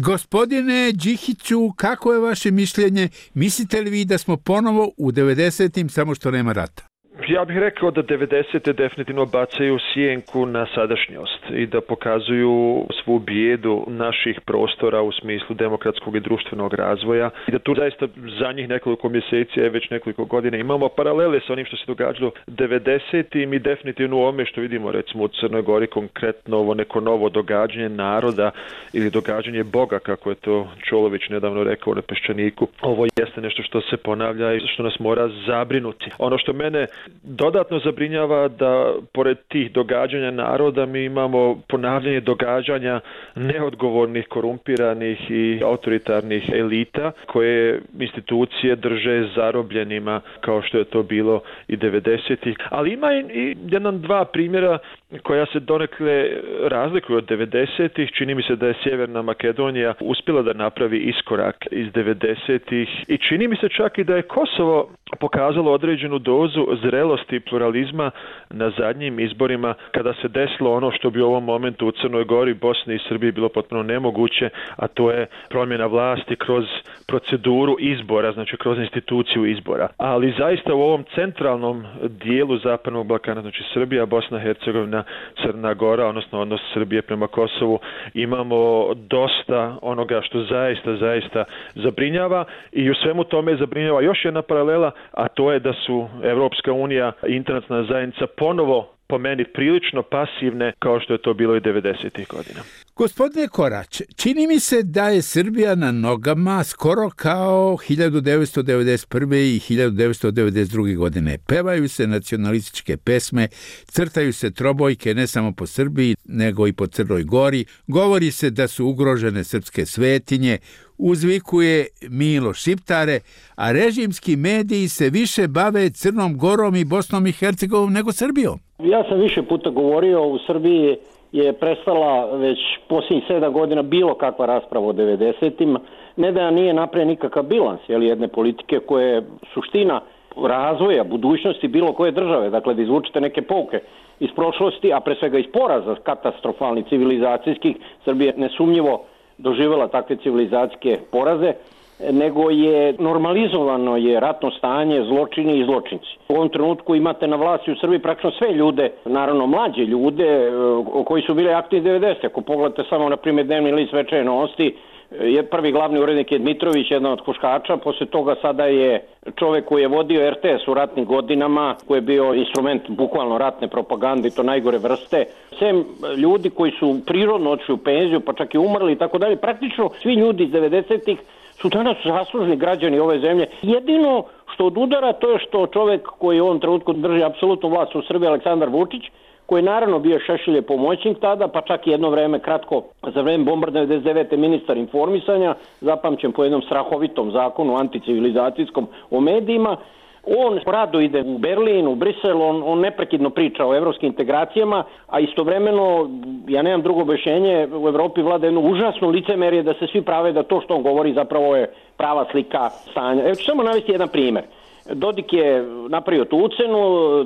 Gospodine Džihiću, kako je vaše mišljenje? Mislite li vi da smo ponovo u devedesetim, samo što nema rata? Ja bih rekao da devedesete definitivno bacaju sjenku na sadašnjost i da pokazuju svu bijedu naših prostora u smislu demokratskog i društvenog razvoja i da tu zaista zadnjih nekoliko mjeseci, već nekoliko godina imamo paralele sa onim što se događalo devedesetim i definitivno u ovome što vidimo recimo u Crnoj Gori, konkretno ovo neko novo događanje naroda ili događanje Boga, kako je to Čolović nedavno rekao na Peščaniku. Ovo jeste nešto što se ponavlja i što nas mora zabrinuti. Ono što mene Dodatno zabrinjava da pored tih događanja naroda mi imamo ponavljanje događanja neodgovornih, korumpiranih i autoritarnih elita koje institucije drže zarobljenima kao što je to bilo i devedesetih. Ali ima i jedan dva primjera koja se donekle razlikuju od devedesetih. Čini mi se da je Sjeverna Makedonija uspjela da napravi iskorak iz devedesetih i čini mi se čak i da je Kosovo pokazalo određenu dozu zrelosti i pluralizma na zadnjim izborima kada se desilo ono što bi u ovom momentu u Crnoj Gori, Bosni i Srbiji bilo potpuno nemoguće, a to je promjena vlasti kroz proceduru izbora, znači kroz instituciju izbora. Ali zaista u ovom centralnom dijelu Zapadnog Balkana, znači Srbija, Bosna, Hercegovina, Crna Gora, odnosno odnos Srbije prema Kosovu, imamo dosta onoga što zaista, zaista zabrinjava i u svemu tome zabrinjava još jedna paralela, a to je da su Evropska unija i internacionalna zajednica ponovo po meni prilično pasivne kao što je to bilo i devedesetih godina. Gospodine Korać, čini mi se da je Srbija na nogama skoro kao hiljadu devetsto devedeset prve i hiljadu devetsto devedeset druge godine. Pevaju se nacionalističke pesme, crtaju se trobojke ne samo po Srbiji, nego i po Crnoj Gori. Govori se da su ugrožene srpske svetinje, uzvikuje Milo Šiptare, a režimski mediji se više bave Crnom Gorom i Bosnom i Hercegovinom nego Srbijom. Ja sam više puta govorio, u Srbiji je prestala već posljednjih sedam godina bilo kakva rasprava o devedesetim. Ne da nije napravljen nikakav bilans jel, jedne politike koje je suština razvoja, budućnosti bilo koje države. Dakle, da izvučete neke pouke iz prošlosti, a pre svega iz poraza katastrofalnih civilizacijskih. Srbija nesumnjivo doživjela takve civilizacijske poraze, nego je normalizovano je ratno stanje, zločini i zločinci. U ovom trenutku imate na vlasti u Srbiji praktično sve ljude, naravno mlađe ljude koji su bili aktivni devedesetih. Ako pogledate samo na primjer dnevni list Večernje novosti, je prvi glavni urednik je Dmitrović, jedan od huškača, poslije toga sada je čovjek koji je vodio er te es u ratnim godinama, koji je bio instrument bukvalno ratne propagande i to najgore vrste. Sem ljudi koji su prirodno otišli u penziju, pa čak i umrli i tako dalje, praktično svi ljudi iz devedesetih su danas zaslužni građani ove zemlje. Jedino što odudara to je što čovjek koji u ovom trenutku drži apsolutnu vlast u Srbiji, Aleksandar Vučić, koji je naravno bio Šešeljev pomoćnik tada, pa čak i jedno vreme kratko za vreme bombardovanja devedeset devete ministar informisanja, zapamćen po jednom strahovitom zakonu anticivilizacijskom o medijima. On rado ide u Berlin, u Brisel, on, on neprekidno priča o evropskim integracijama, a istovremeno, ja nemam drugo objašnjenje, u Evropi vlada jedno užasno licemerje da se svi prave da to što on govori zapravo je prava slika stanja. Evo ću samo navesti jedan primjer. Dodik je napravio tu ucenu,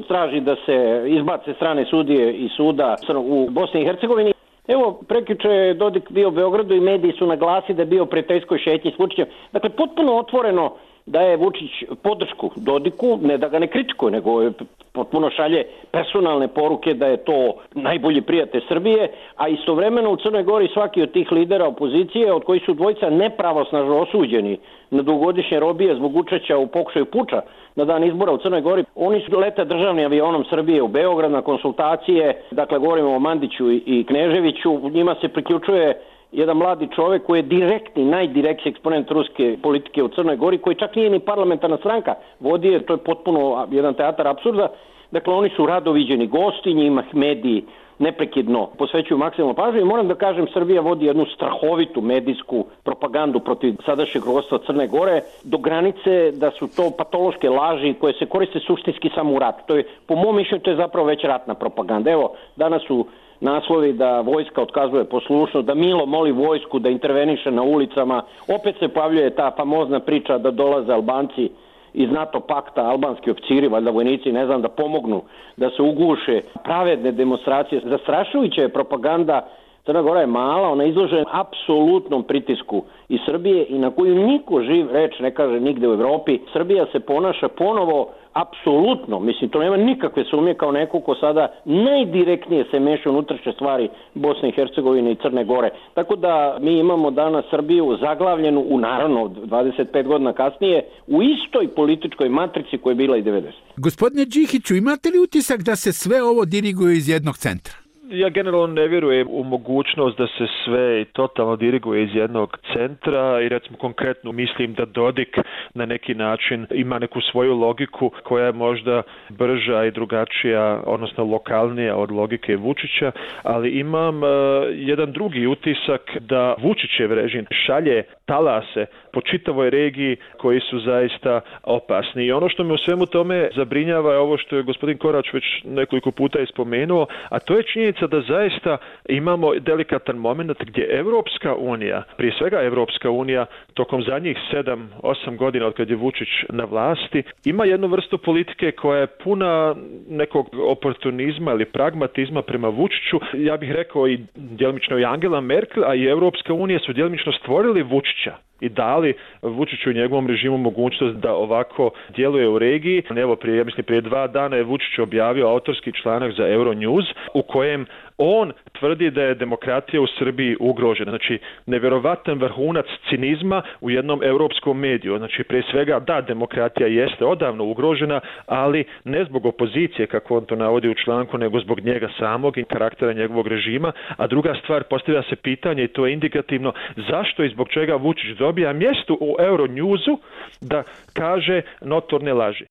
traži da se izbace strane sudije iz suda u Bosni i Hercegovini. Evo, prekjuče je Dodik bio u Beogradu i mediji su naglasili da je bio prijateljskoj šetnji s Vučićem. Dakle, potpuno otvoreno daje Vučić podršku Dodiku, ne da ga ne kritikuje, nego je potpuno šalje personalne poruke da je to najbolji prijatelj Srbije, a istovremeno u Crnoj Gori svaki od tih lidera opozicije, od kojih su dvojica nepravosnažno osuđeni na dugogodišnje robije zbog učešća u pokušaju puča na dan izbora u Crnoj Gori, oni su lete državnim avionom Srbije u Beograd na konsultacije, dakle govorimo o Mandiću i Kneževiću, njima se priključuje jedan mladi čovjek koji je direktni, najdirektniji eksponent ruske politike u Crnoj Gori, koji čak nije ni parlamentarna stranka vodi, to je potpuno jedan teatar apsurda. Dakle, oni su rado viđeni gosti, njima mediji neprekidno posvećuju maksimalnu pažnju i moram da kažem, Srbija vodi jednu strahovitu medijsku propagandu protiv sadašnjeg rukovodstva Crne Gore do granice da su to patološke laži koje se koriste suštinski samo u ratu. To je, po mom mišljenju, to je zapravo već ratna propaganda. Evo, danas su naslovi da vojska otkazuje poslušnost, da Milo moli vojsku da interveniše na ulicama. Opet se pojavljuje ta famozna priča da dolaze Albanci iz NATO pakta, albanski oficiri, valjda vojnici, ne znam, da pomognu, da se uguše pravedne demonstracije. Zastrašujuća je propaganda. Crna Gora je mala, ona je izložena apsolutnom pritisku iz Srbije i na koju niko živ reč ne kaže nigde u Evropi. Srbija se ponaša ponovo apsolutno, mislim, to nema nikakve sumnje, kao neko ko sada najdirektnije se meša u unutrašnje stvari Bosne i Hercegovine i Crne Gore. Tako da mi imamo danas Srbiju zaglavljenu u, naravno, dvadeset pet godina kasnije, u istoj političkoj matrici koja je bila i devedeset. Gospodine Đihiću, imate li utisak da se sve ovo diriguje iz jednog centra? Ja generalno ne vjerujem u mogućnost da se sve totalno diriguje iz jednog centra i recimo konkretno mislim da Dodik na neki način ima neku svoju logiku koja je možda brža i drugačija, odnosno lokalnija od logike Vučića, ali imam uh, jedan drugi utisak da Vučićev režim šalje talase po čitavoj regiji koji su zaista opasni. I ono što me u svemu tome zabrinjava je ovo što je gospodin Korać već nekoliko puta ispomenuo, a to je činjenica da zaista imamo delikatan moment gdje Evropska unija, prije svega Evropska unija, tokom zadnjih sedam, osam godina od kad je Vučić na vlasti, ima jednu vrstu politike koja je puna nekog oportunizma ili pragmatizma prema Vučiću. Ja bih rekao i djelomično i Angela Merkel, a i Evropska unija su djelomično stvorili Vučića i dali Vučiću i njegovom režimu mogućnost da ovako djeluje u regiji. Evo, prije, ja mislim, prije dva dana je Vučić objavio autorski članak za Euronews u kojem on tvrdi da je demokratija u Srbiji ugrožena. Znači, nevjerovatan vrhunac cinizma u jednom europskom mediju. Znači, prije svega, da, demokratija jeste odavno ugrožena, ali ne zbog opozicije, kako on to navodi u članku, nego zbog njega samog i karaktera njegovog režima. A druga stvar, postavlja se pitanje, i to je indikativno, zašto i zbog čega Vučić dobija mjesto u Euronewsu da kaže notorne laži.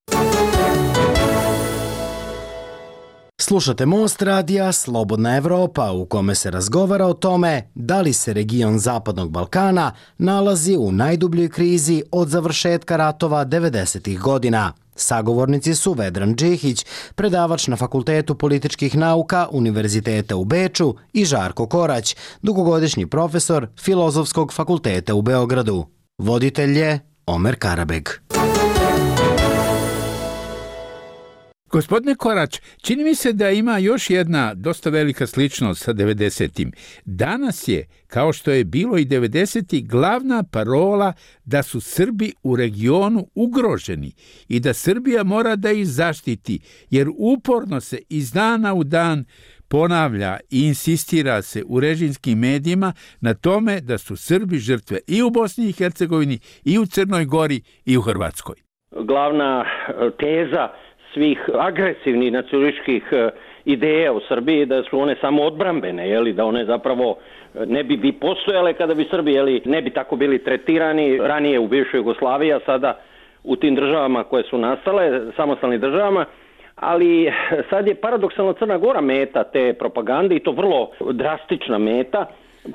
Slušate Most radija Slobodna Evropa u kome se razgovara o tome da li se region Zapadnog Balkana nalazi u najdubljoj krizi od završetka ratova devedesetih godina. Sagovornici su Vedran Džihić, predavač na Fakultetu političkih nauka Univerziteta u Beču i Žarko Korać, dugogodišnji profesor Filozofskog fakulteta u Beogradu. Voditelj je Omer Karabeg. Gospodine Korać, čini mi se da ima još jedna dosta velika sličnost sa devedesetim. Danas je, kao što je bilo i devedesetih, glavna parola da su Srbi u regionu ugroženi i da Srbija mora da ih zaštiti, jer uporno se iz dana u dan ponavlja i insistira se u režimskim medijima na tome da su Srbi žrtve i u Bosni i Hercegovini, i u Crnoj Gori, i u Hrvatskoj. Glavna teza svih agresivnih nacionalističkih ideja u Srbiji da su one samo odbrambene, jeli, da one zapravo ne bi, bi postojale kada bi Srbi jeli, ne bi tako bili tretirani ranije u bivšoj Jugoslaviji, a sada u tim državama koje su nastale, samostalnim državama. Ali sad je paradoksalno Crna Gora meta te propagande i to vrlo drastična meta,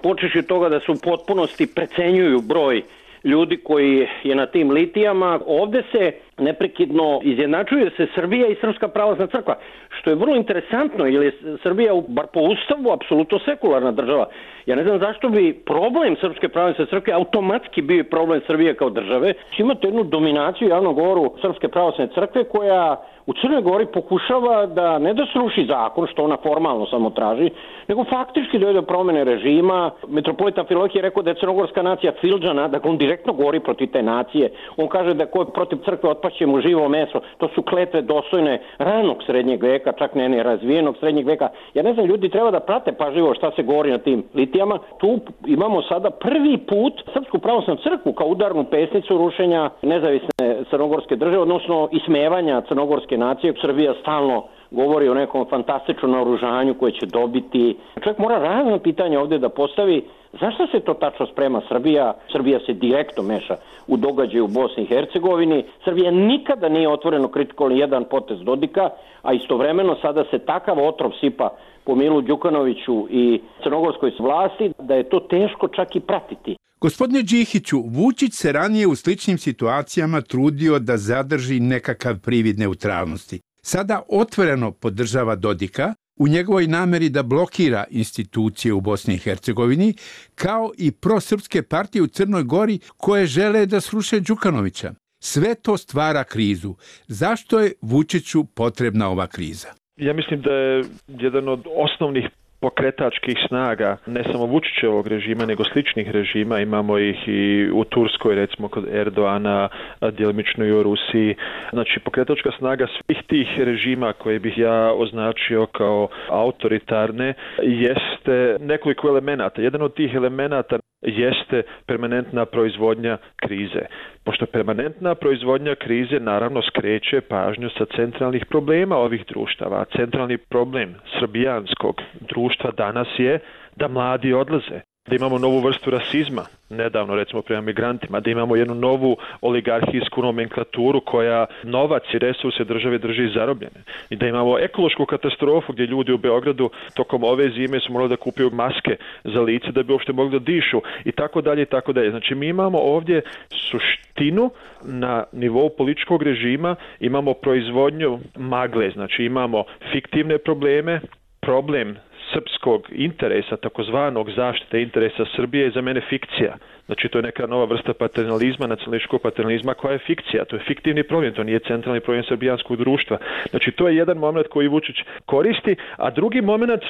počeši od toga da se u potpunosti precenjuju broj ljudi koji je na tim litijama. Ovdje se neprekidno izjednačuje se Srbija i Srpska pravoslavna crkva, što je vrlo interesantno, jer je Srbija, bar po ustavu, apsolutno sekularna država. Ja ne znam zašto bi problem Srpske pravoslavne crkve automatski bio problem Srbije kao države. Imate jednu dominaciju javnog govoru Srpske pravoslavne crkve koja u Crnoj Gori pokušava da ne da sruši zakon, što ona formalno samo traži, nego faktički dojde do promjene režima. Metropolita Amfilohije je rekao da je crnogorska nacija Filđana, dakle on direktno govori protiv te nacije. On kaže da ko je protiv crkve otpašće mu živo meso. To su kletve dostojne ranog srednjeg veka, čak ne ne razvijenog srednjeg veka. Ja ne znam, ljudi treba da prate pažljivo šta se govori na tim litijama. Tu imamo sada prvi put Srpsku pravoslavnu crkvu kao udarnu pesnicu rušenja nezavisne crnogorske države, odnosno ismevanja crnogorske nacije. Srbija stalno govori o nekom fantastičnom naoružanju koje će dobiti. Čovjek mora razno pitanje ovdje da postavi zašto se to tačno sprema Srbija. Srbija se direktno meša u događaju u Bosni i Hercegovini. Srbija nikada nije otvoreno kritikovala jedan potez Dodika, a istovremeno sada se takav otrov sipa po Milu Đukanoviću i crnogorskoj vlasti da je to teško čak i pratiti. Gospodine Džihiću, Vučić se ranije u sličnim situacijama trudio da zadrži nekakav privid neutralnosti. Sada otvoreno podržava Dodika u njegovoj nameri da blokira institucije u Bosni i Hercegovini, kao i prosrpske partije u Crnoj Gori koje žele da sruše Đukanovića. Sve to stvara krizu. Zašto je Vučiću potrebna ova kriza? Ja mislim da je jedan od osnovnih pokretačkih snaga, ne samo Vučićevog režima, nego sličnih režima, imamo ih i u Turskoj, recimo kod Erdoana, djelimično i u Rusiji. Znači, pokretačka snaga svih tih režima koje bih ja označio kao autoritarne jeste nekoliko elemenata. Jedan od tih elemenata jeste permanentna proizvodnja krize. Pošto permanentna proizvodnja krize naravno skreće pažnju sa centralnih problema ovih društava. A centralni problem srbijanskog društva danas je da mladi odlaze. Da imamo novu vrstu rasizma, nedavno recimo prema migrantima, da imamo jednu novu oligarhijsku nomenklaturu koja novac i resurse države drži zarobljene. I da imamo ekološku katastrofu gdje ljudi u Beogradu tokom ove zime su morali da kupuju maske za lice da bi uopšte mogli da dišu i tako dalje i tako dalje. Znači mi imamo ovdje suštinu na nivou političkog režima, imamo proizvodnju magle, znači imamo fiktivne probleme, problem srpskog interesa, takozvanog zaštite interesa Srbije je za mene fikcija. Znači to je neka nova vrsta paternalizma, nacionalističkog paternalizma koja je fikcija. To je fiktivni problem, to nije centralni problem srbijanskog društva. Znači to je jedan moment koji Vučić koristi, a drugi moment,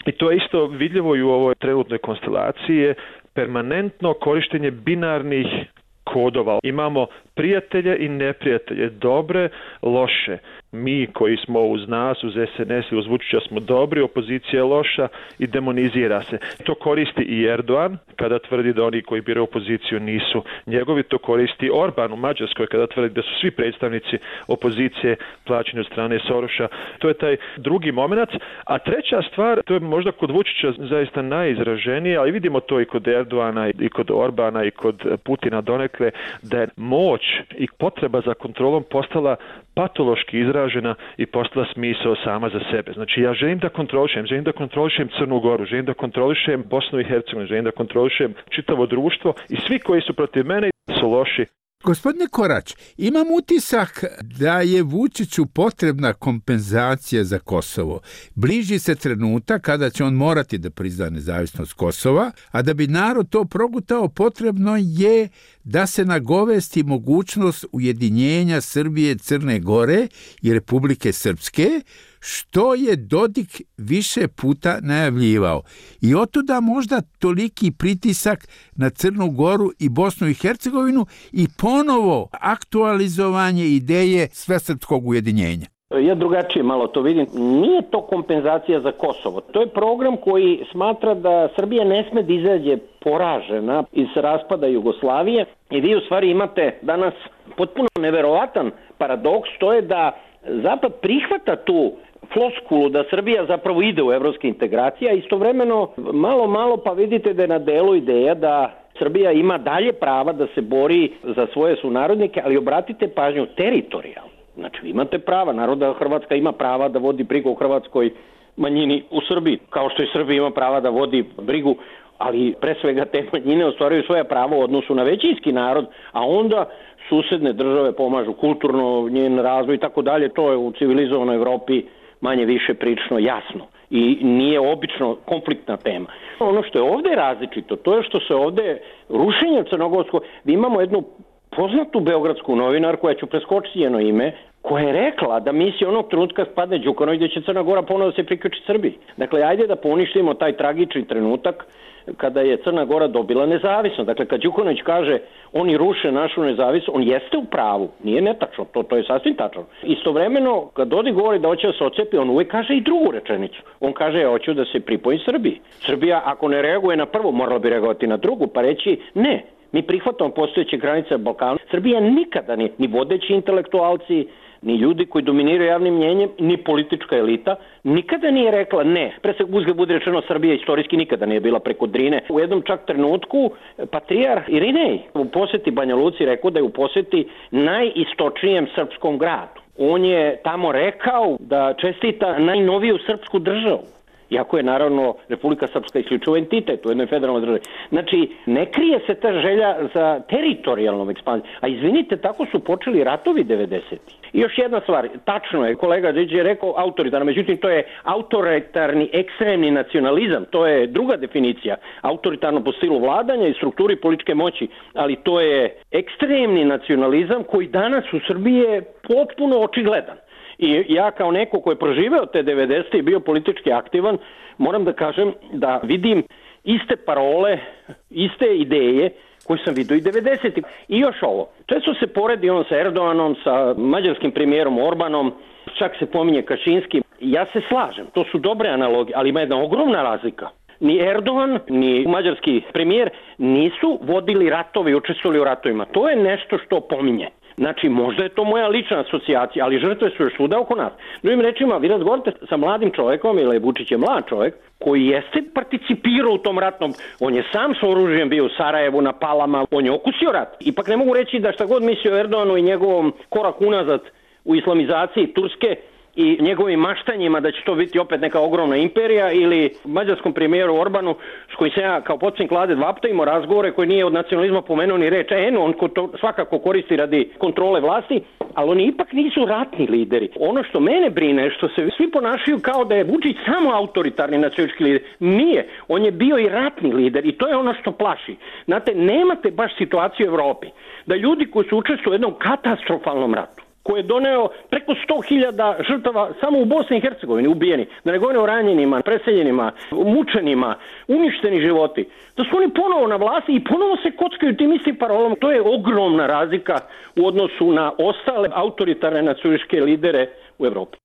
i to je isto vidljivo i u ovoj trenutnoj konstelaciji, je permanentno korištenje binarnih kodova. Imamo prijatelje i neprijatelje, dobre, loše. Mi koji smo uz nas, uz S N S i uz Vučića smo dobri, opozicija je loša i demonizira se. To koristi i Erdogan kada tvrdi da oni koji biraju opoziciju nisu njegovi. To koristi Orban u Mađarskoj kada tvrdi da su svi predstavnici opozicije plaćeni od strane Soroša. To je taj drugi moment. A treća stvar, to je možda kod Vučića zaista najizraženije, ali vidimo to i kod Erdogana i kod Orbana i kod Putina donekle, da je moć i potreba za kontrolom postala patološki izražena i postala smisao sama za sebe. Znači ja želim da kontrolišem, želim da kontrolišem Crnu Goru, želim da kontrolišem Bosnu i Hercegovinu, želim da kontrolišem čitavo društvo i svi koji su protiv mene su loši. Gospodine Korać, imam utisak da je Vučiću potrebna kompenzacija za Kosovo. Bliži se trenutak kada će on morati da prizna nezavisnost Kosova, a da bi narod to progutao potrebno je da se nagovesti mogućnost ujedinjenja Srbije, Crne Gore i Republike Srpske, što je Dodik više puta najavljivao. I otuda možda toliki pritisak na Crnu Goru i Bosnu i Hercegovinu i ponovo aktualizovanje ideje svesrpskog ujedinjenja. Ja drugačije malo to vidim. Nije to kompenzacija za Kosovo. To je program koji smatra da Srbija ne sme da izađe poražena iz raspada Jugoslavije i vi u stvari imate danas potpuno neverovatan paradoks, to je da Zapad prihvata tu floskulu da Srbija zapravo ide u evropske integracije, a istovremeno malo malo pa vidite da je na delu ideja da Srbija ima dalje prava da se bori za svoje sunarodnike, ali obratite pažnju teritorijalno. Znači vi imate prava, naroda Hrvatska ima prava da vodi brigu o hrvatskoj manjini u Srbiji, kao što i Srbija ima prava da vodi brigu, ali pre svega te manjine ostvaruju svoja prava u odnosu na većinski narod, a onda susedne države pomažu kulturno, njen razvoj i tako dalje. To je u civilizovanoj Evropi manje više prilično jasno i nije obično konfliktna tema. Ono što je ovdje različito, to je što se ovdje rušenjem crnogorskog, vi imamo jednu poznatu beogradsku novinarku, koja ću preskočiti njeno ime, koja je rekla da misli onog trenutka spadne Đukanović da će Crna Gora ponovno da se priključi Srbiji. Dakle, ajde da poništimo taj tragični trenutak kada je Crna Gora dobila nezavisnost. Dakle, kad Đukanović kaže oni ruše našu nezavisnost, on jeste u pravu, nije netačno, to, to je sasvim tačno. Istovremeno, kad Dodik govori da hoće da se ocepi, on uvijek kaže i drugu rečenicu. On kaže, ja hoću da se pripoji Srbiji. Srbija, ako ne reaguje na prvu, morala bi reagovati na drugu, pa reći ne. Mi prihvatamo postojeće granice Balkana. Srbija nikada ni, ni vodeći intelektualci, ni ljudi koji dominiraju javnim mnjenjem, ni politička elita, nikada nije rekla ne. Pre se uzgled bude rečeno, Srbija istorijski nikada nije bila preko Drine. U jednom čak trenutku patrijarh Irinej u posjeti Banja Luci rekao da je u posjeti najistočnijem srpskom gradu. On je tamo rekao da čestita najnoviju srpsku državu. Iako je naravno Republika Srpska isključivo entitet u jednoj federalnoj državi. Znači, ne krije se ta želja za teritorijalnom ekspanzijom. A izvinite, tako su počeli ratovi devedesetih. I još jedna stvar, tačno je, kolega Điđe je rekao autoritarno, međutim to je autoritarni ekstremni nacionalizam, to je druga definicija, autoritarno po stilu vladanja i strukturi političke moći, ali to je ekstremni nacionalizam koji danas u Srbiji je potpuno očigledan. I ja kao neko ko je proživeo te devedesete i bio politički aktivan, moram da kažem da vidim iste parole, iste ideje koje sam vidio i devedesetih. I još ovo, često se poredi on sa Erdoganom, sa mađarskim premijerom Orbanom, čak se pominje Kačinski. Ja se slažem, to su dobre analogije, ali ima jedna ogromna razlika. ni Erdogan, ni mađarski premijer nisu vodili ratove i učestvovali u ratovima. To je nešto što pominje. Znači, možda je to moja lična asocijacija, ali žrtve su još svuda oko nas. Drugim rečima, vi razgovarate sa mladim čovjekom, ili Vučić je mlad čovjek, koji jeste participirao u tom ratnom, on je sam s oružjem bio u Sarajevu, na Palama, on je okusio rat. Ipak ne mogu reći da šta god mislio o Erdoganu i njegovom korak unazad u islamizaciji Turske i njegovim maštanjima da će to biti opet neka ogromna imperija, ili mađarskom premijeru Orbanu s kojim se ja kao potpredsjednik vlade dva puta imao razgovore, koji nije od nacionalizma pomenuo ni reč, eno, on to svakako koristi radi kontrole vlasti, ali oni ipak nisu ratni lideri. Ono što mene brine je što se svi ponašaju kao da je Vučić samo autoritarni nacionalistički lider. Nije, on je bio i ratni lider i to je ono što plaši. Znate, nemate baš situaciju u Evropi da ljudi koji su učestvovali u jednom katastrofalnom ratu, koji je doneo preko sto hiljada žrtava samo u Bosni i Hercegovini ubijeni, da ne govorim o ranjenima, preseljenima, mučenima, uništeni životi, da su oni ponovo na vlasti i ponovo se kockaju tim istim parolama. To je ogromna razlika u odnosu na ostale autoritarne nacionalističke lidere u Evropi.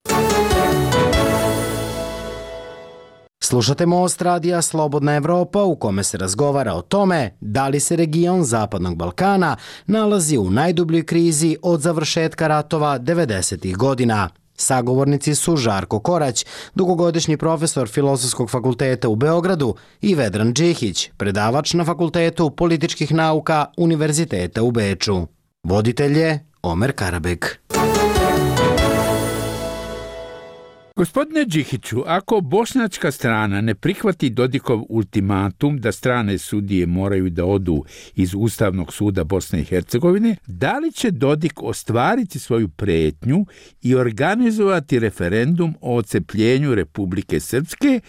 Slušate Most radija Slobodna Evropa u kome se razgovara o tome da li se region Zapadnog Balkana nalazi u najdubljoj krizi od završetka ratova devedesetih godina. Sagovornici su Žarko Korać, dugogodišnji profesor Filozofskog fakulteta u Beogradu, i Vedran Džihić, predavač na Fakultetu političkih nauka Univerziteta u Beču. Voditelj je Omer Karabek. Gospodine Džihiću, ako bošnjačka strana ne prihvati Dodikov ultimatum da strane sudije moraju da odu iz Ustavnog suda Bosne i Hercegovine, da li će Dodik ostvariti svoju pretnju i organizovati referendum o odcepljenju Republike Srpske,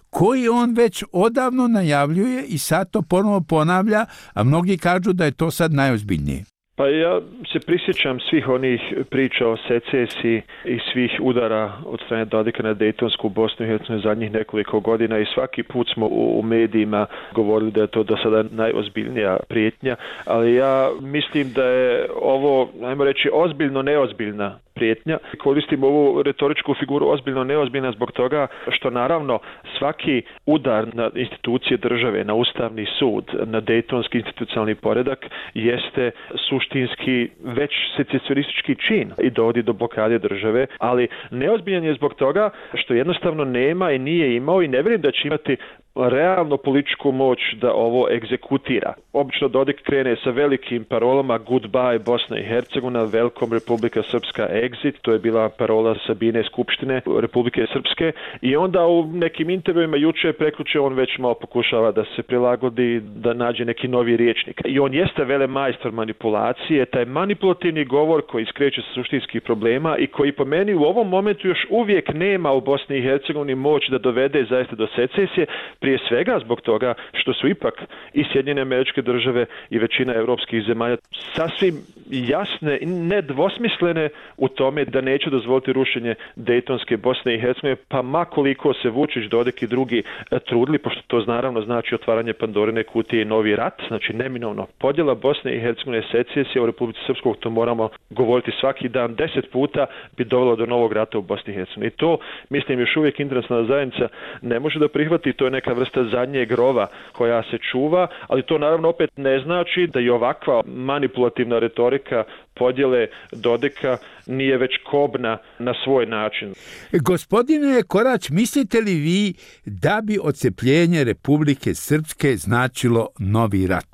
koji on već odavno najavljuje i sad to ponovo ponavlja, a mnogi kažu da je to sad najozbiljnije? Pa ja se prisjećam svih onih priča o secesiji i svih udara od strane Dodika na Dejtonsku Bosnu i Hercegovinu zadnjih nekoliko godina i svaki put smo u medijima govorili da je to do sada najozbiljnija prijetnja, ali ja mislim da je ovo, ajmo reći, ozbiljno neozbiljna prijetnja. Koristim ovu retoričku figuru ozbiljno neozbiljna zbog toga što naravno svaki udar na institucije države, na Ustavni sud, na Dejtonski institucionalni poredak jeste suštinski već secesionistički čin i dovodi do blokade države, ali neozbiljan je zbog toga što jednostavno nema i nije imao i ne vjerujem da će imati realno političku moć da ovo egzekutira. Obično Dodik krene sa velikim parolama Goodbye Bosna i Hercegovina, Welcome Republika Srpska, Exit, to je bila parola Sabine Skupštine Republike Srpske, i onda u nekim intervjuima juče prekjuče on već malo pokušava da se prilagodi, da nađe neki novi rječnik. I on jeste velemajstor manipulacije, taj manipulativni govor koji skreće sa suštinskih problema i koji po meni u ovom momentu još uvijek nema u Bosni i Hercegovini moć da dovede zaista do secesije, prije svega zbog toga što su ipak i Sjedinjene Američke Države i većina europskih zemalja sasvim jasne i nedvosmislene u tome da neće dozvoliti rušenje Dejtonske Bosne i Hercegovine, pa ma koliko se Vučić, Dodik i drugi trudili, pošto to naravno znači otvaranje Pandorine kutije i novi rat, znači neminovno podjela Bosne i Hercegovine, secesija u Republici Srpskoj, to moramo govoriti svaki dan, deset puta bi dovelo do novog rata u Bosni i Hercegovini. I to, mislim, još uvijek internacionalna zajednica ne može da prihvati, to je neka vrsta zadnjeg rova koja se čuva, ali to naravno opet ne znači da i ovakva manipulativna retorika podjele Dodika nije već kobna na svoj način. Gospodine Korać, mislite li vi da bi odcepljenje Republike Srpske značilo novi rat?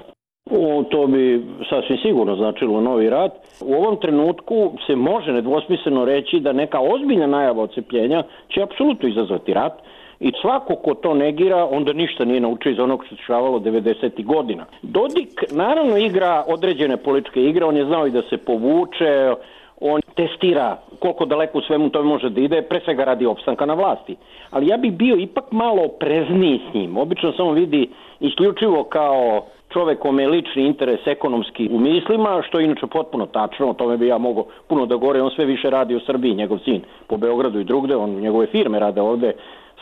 O, to bi sasvim sigurno značilo novi rat. U ovom trenutku se može nedvosmisleno reći da neka ozbiljna najava odcepljenja će apsolutno izazvati rat. I svako ko to negira, onda ništa nije naučio iz onog što se dešavalo devedesetih godina. Dodik naravno igra određene političke igre, on je znao i da se povuče, on testira koliko daleko u svemu to može da ide, pre svega radi opstanka na vlasti. Ali ja bih bio ipak malo oprezniji s njim. Obično samo vidi isključivo kao čovek kome je lični interes ekonomski u mislima, što je inače potpuno tačno, o tome bi ja mogao puno da govore, on sve više radi u Srbiji, njegov sin po Beogradu i drugde, on njegove firme rade ovde,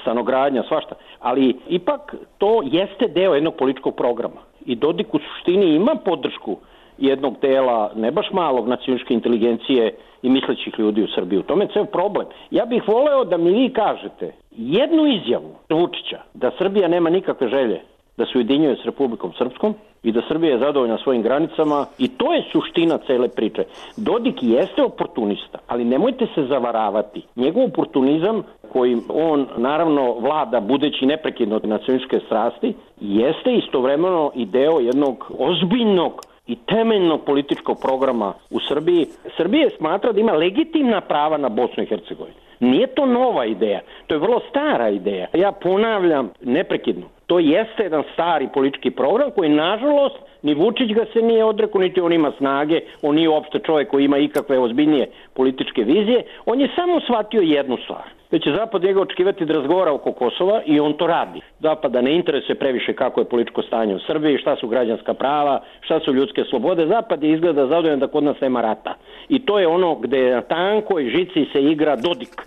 stanogradnja, svašta. Ali ipak to jeste deo jednog političkog programa. I Dodik u suštini ima podršku jednog dela, ne baš malog, nacionalističke inteligencije i mislećih ljudi u Srbiji. U tome je ceo problem. Ja bih voleo da mi vi kažete jednu izjavu Vučića da Srbija nema nikakve želje da se ujedinjuje s Republikom Srpskom i da Srbija je zadovoljna svojim granicama i to je suština cele priče. Dodik jeste oportunista, ali nemojte se zavaravati. Njegov oportunizam koji on naravno vlada budeći neprekidno nacionalističke strasti jeste istovremeno i deo jednog ozbiljnog i temeljnog političkog programa u Srbiji. Srbija smatra da ima legitimna prava na Bosnu i Hercegovinu. Nije to nova ideja, to je vrlo stara ideja. Ja ponavljam neprekidno, to jeste jedan stari politički program koji nažalost ni Vučić ga se nije odrekao, niti on ima snage, on nije uopšte čovjek koji ima ikakve ozbiljnije političke vizije, on je samo shvatio jednu stvar. Da će Zapad njega očekivati da razgovara oko Kosova i on to radi. Zapada ne interesuje previše kako je političko stanje u Srbiji, šta su građanska prava, šta su ljudske slobode. Zapad je izgleda zadovoljan da kod nas nema rata. I to je ono gde na tankoj žici se igra Dodik.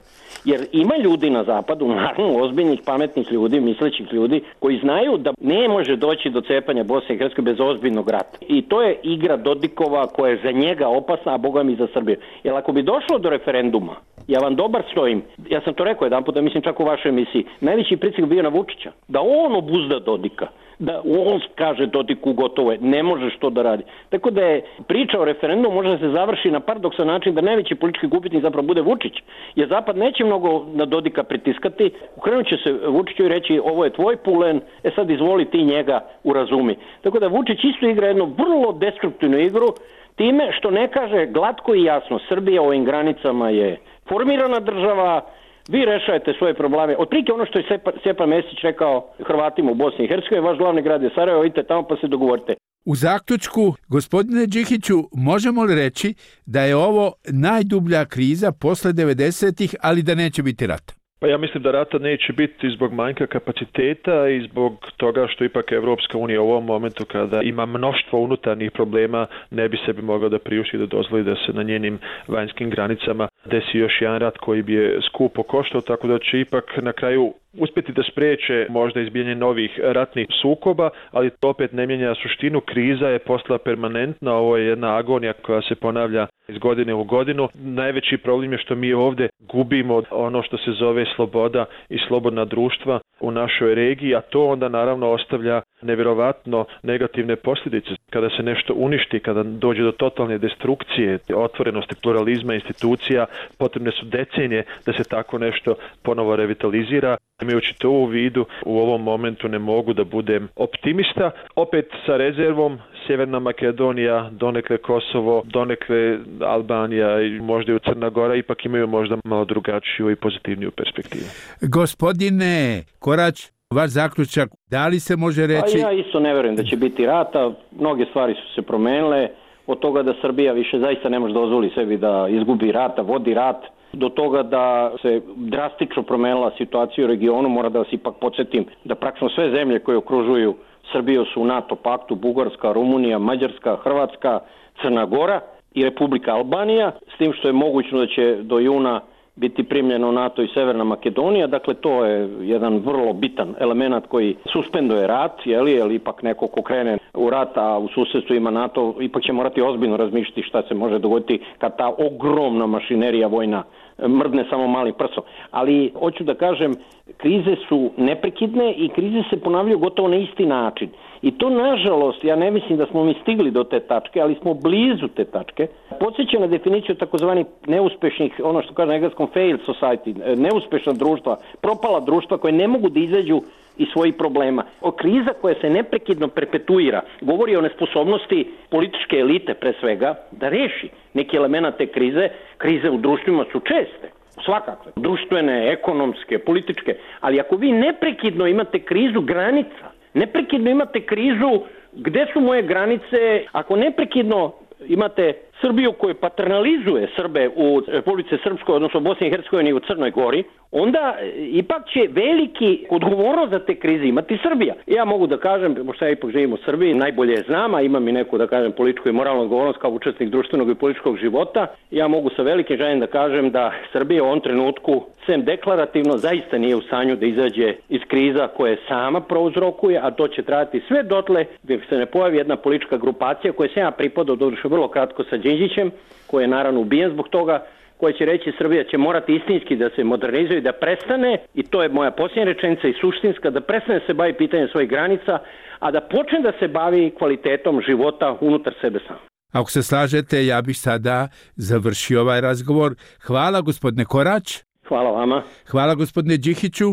Jer ima ljudi na zapadu, naravno ozbiljnih, pametnih ljudi, mislećih ljudi, koji znaju da ne može doći do cepanja Bosne i Hercegovine bez ozbiljnog rata. I to je igra Dodikova koja je za njega opasna, a boga mi za Srbiju. Jer ako bi došlo do referenduma, ja vam dobar stojim, ja sam to rekao jedan put, da mislim čak u vašoj emisiji, najveći pritisak bio na Vučića, da on obuzda Dodika, da on kaže Dodiku gotovo je, ne možeš to da radi. Tako da je priča o referendumu može da se završi na paradoksan način da najveći politički gubitnik zapravo bude Vučić, jer Zapad neće mnogo na Dodika pritiskati, ukrenut će se Vučiću i reći ovo je tvoj pulen, e sad izvoli ti njega urazumi. Tako da Vučić isto igra jednu vrlo destruktivnu igru, time što ne kaže glatko i jasno, Srbija u ovim granicama je formirana država, vi rešajete svoje probleme. Otprilike ono što je Stjepan Mesić rekao Hrvatima u Bosni i Hercegovini, vaš glavni grad je Sarajevo, idite tamo pa se dogovorite. U zaključku, gospodine Đikiću, možemo li reći da je ovo najdublja kriza posle devedesetih, ali da neće biti rata? Pa ja mislim da rata neće biti zbog manjka kapaciteta i zbog toga što ipak Evropska unija u ovom momentu kada ima mnoštvo unutarnjih problema ne bi sebi mogla da priušti da dozvoli da se na njenim vanjskim granicama desi još jedan rat koji bi je skupo koštao, tako da će ipak na kraju uspjeti da spreče možda izbijanje novih ratnih sukoba, ali to opet ne mijenja suštinu. Kriza je postala permanentna, ovo je jedna agonija koja se ponavlja iz godine u godinu. Najveći problem je što mi ovdje gubimo ono što se zove sloboda i slobodna društva u našoj regiji, a to onda naravno ostavlja nevjerovatno negativne posljedice. Kada se nešto uništi, kada dođe do totalne destrukcije, otvorenosti pluralizma institucija, potrebne su decenije da se tako nešto ponovo revitalizira. Imajući to u vidu, u ovom momentu ne mogu da budem optimista. Opet sa rezervom, Sjeverna Makedonija, donekle Kosovo, donekle Albanija i možda i Crna Gora ipak imaju možda malo drugačiju i pozitivniju perspektivu. Gospodine Korać, vaš zaključak, da li se može reći? Pa ja isto ne verujem da će biti rata, mnoge stvari su se promenile, od toga da Srbija više zaista ne može dozvoli sebi da izgubi rata, vodi rat, do toga da se drastično promenila situacija u regionu. Mora da vas ipak podsjetim da praktično sve zemlje koje okružuju Srbiju su u NATO paktu, Bugarska, Rumunija, Mađarska, Hrvatska, Crna Gora i Republika Albanija, s tim što je mogućno da će do juna biti primljeno u NATO i Severna Makedonija. Dakle, to je jedan vrlo bitan element koji suspenduje rat, jeli, jer ipak neko ko krene u rat, a u susjedstvu ima NATO, ipak će morati ozbiljno razmišljati šta se može dogoditi kad ta ogromna mašinerija vojna mrdne samo malim prsom. Ali hoću da kažem, krize su neprekidne i krize se ponavljaju gotovo na isti način. I to, nažalost, ja ne mislim da smo mi stigli do te tačke, ali smo blizu te tačke. Podsjeća na definiciju takozvanih neuspešnih, ono što kaže na engleskom failed society, neuspešna društva, propala društva koje ne mogu da izađu iz svojih problema. O kriza koja se neprekidno perpetuira govori o nesposobnosti političke elite pre svega da reši neki element te krize. Krize u društvima su česte, svakakve, društvene, ekonomske, političke, ali ako vi neprekidno imate krizu granica, neprekidno imate krizu gde su moje granice, ako neprekidno imate Srbiju koju paternalizuje Srbe u Republici Srpskoj, odnosno Bosni i Hercegovini i u Crnoj Gori, onda ipak će veliki odgovornost za te krize imati Srbija. Ja mogu da kažem, pošto ja ipak živim u Srbiji, najbolje je znam, a imam i neku, da kažem, političku i moralnu odgovornost kao učesnik društvenog i političkog života, ja mogu sa velikim željem da kažem da Srbija u ovom trenutku, sem deklarativno, zaista nije u stanju da izađe iz kriza koje sama prouzrokuje, a to će trajati sve dotle gdje se ne pojavi jedna politička grupacija koja se ja pripadao, doduše vrlo kratko sa Đinđićem, koji je naravno ubijen zbog toga, koja će reći Srbija će morati istinski da se modernizuje i da prestane, i to je moja posljednja rečenica i suštinska, da prestane se bavi pitanjem svojih granica, a da počne da se bavi kvalitetom života unutar sebe sam. Ako se slažete, ja bih sada završio ovaj razgovor. Hvala gospodine Korać. Hvala vama. Hvala gospodine Đihiću.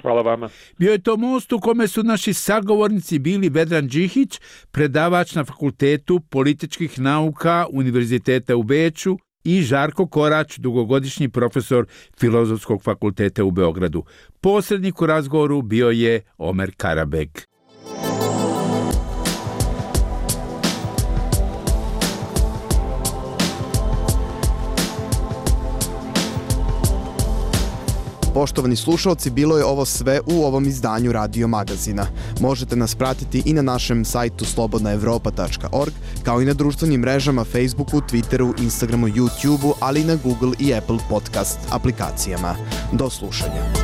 Hvala vama. Bio je to most u kome su naši sagovornici bili Vedran Đihić, predavač na Fakultetu političkih nauka Univerziteta u Beču, i Žarko Korać, dugogodišnji profesor Filozofskog fakulteta u Beogradu. Posrednik u razgovoru bio je Omer Karabeg. Poštovani slušalci, bilo je ovo sve u ovom izdanju Radio Magazina. Možete nas pratiti i na našem sajtu slobodna evropa tačka org, kao i na društvenim mrežama Facebooku, Twitteru, Instagramu, YouTubeu, ali i na Google i Apple podcast aplikacijama. Do slušanja.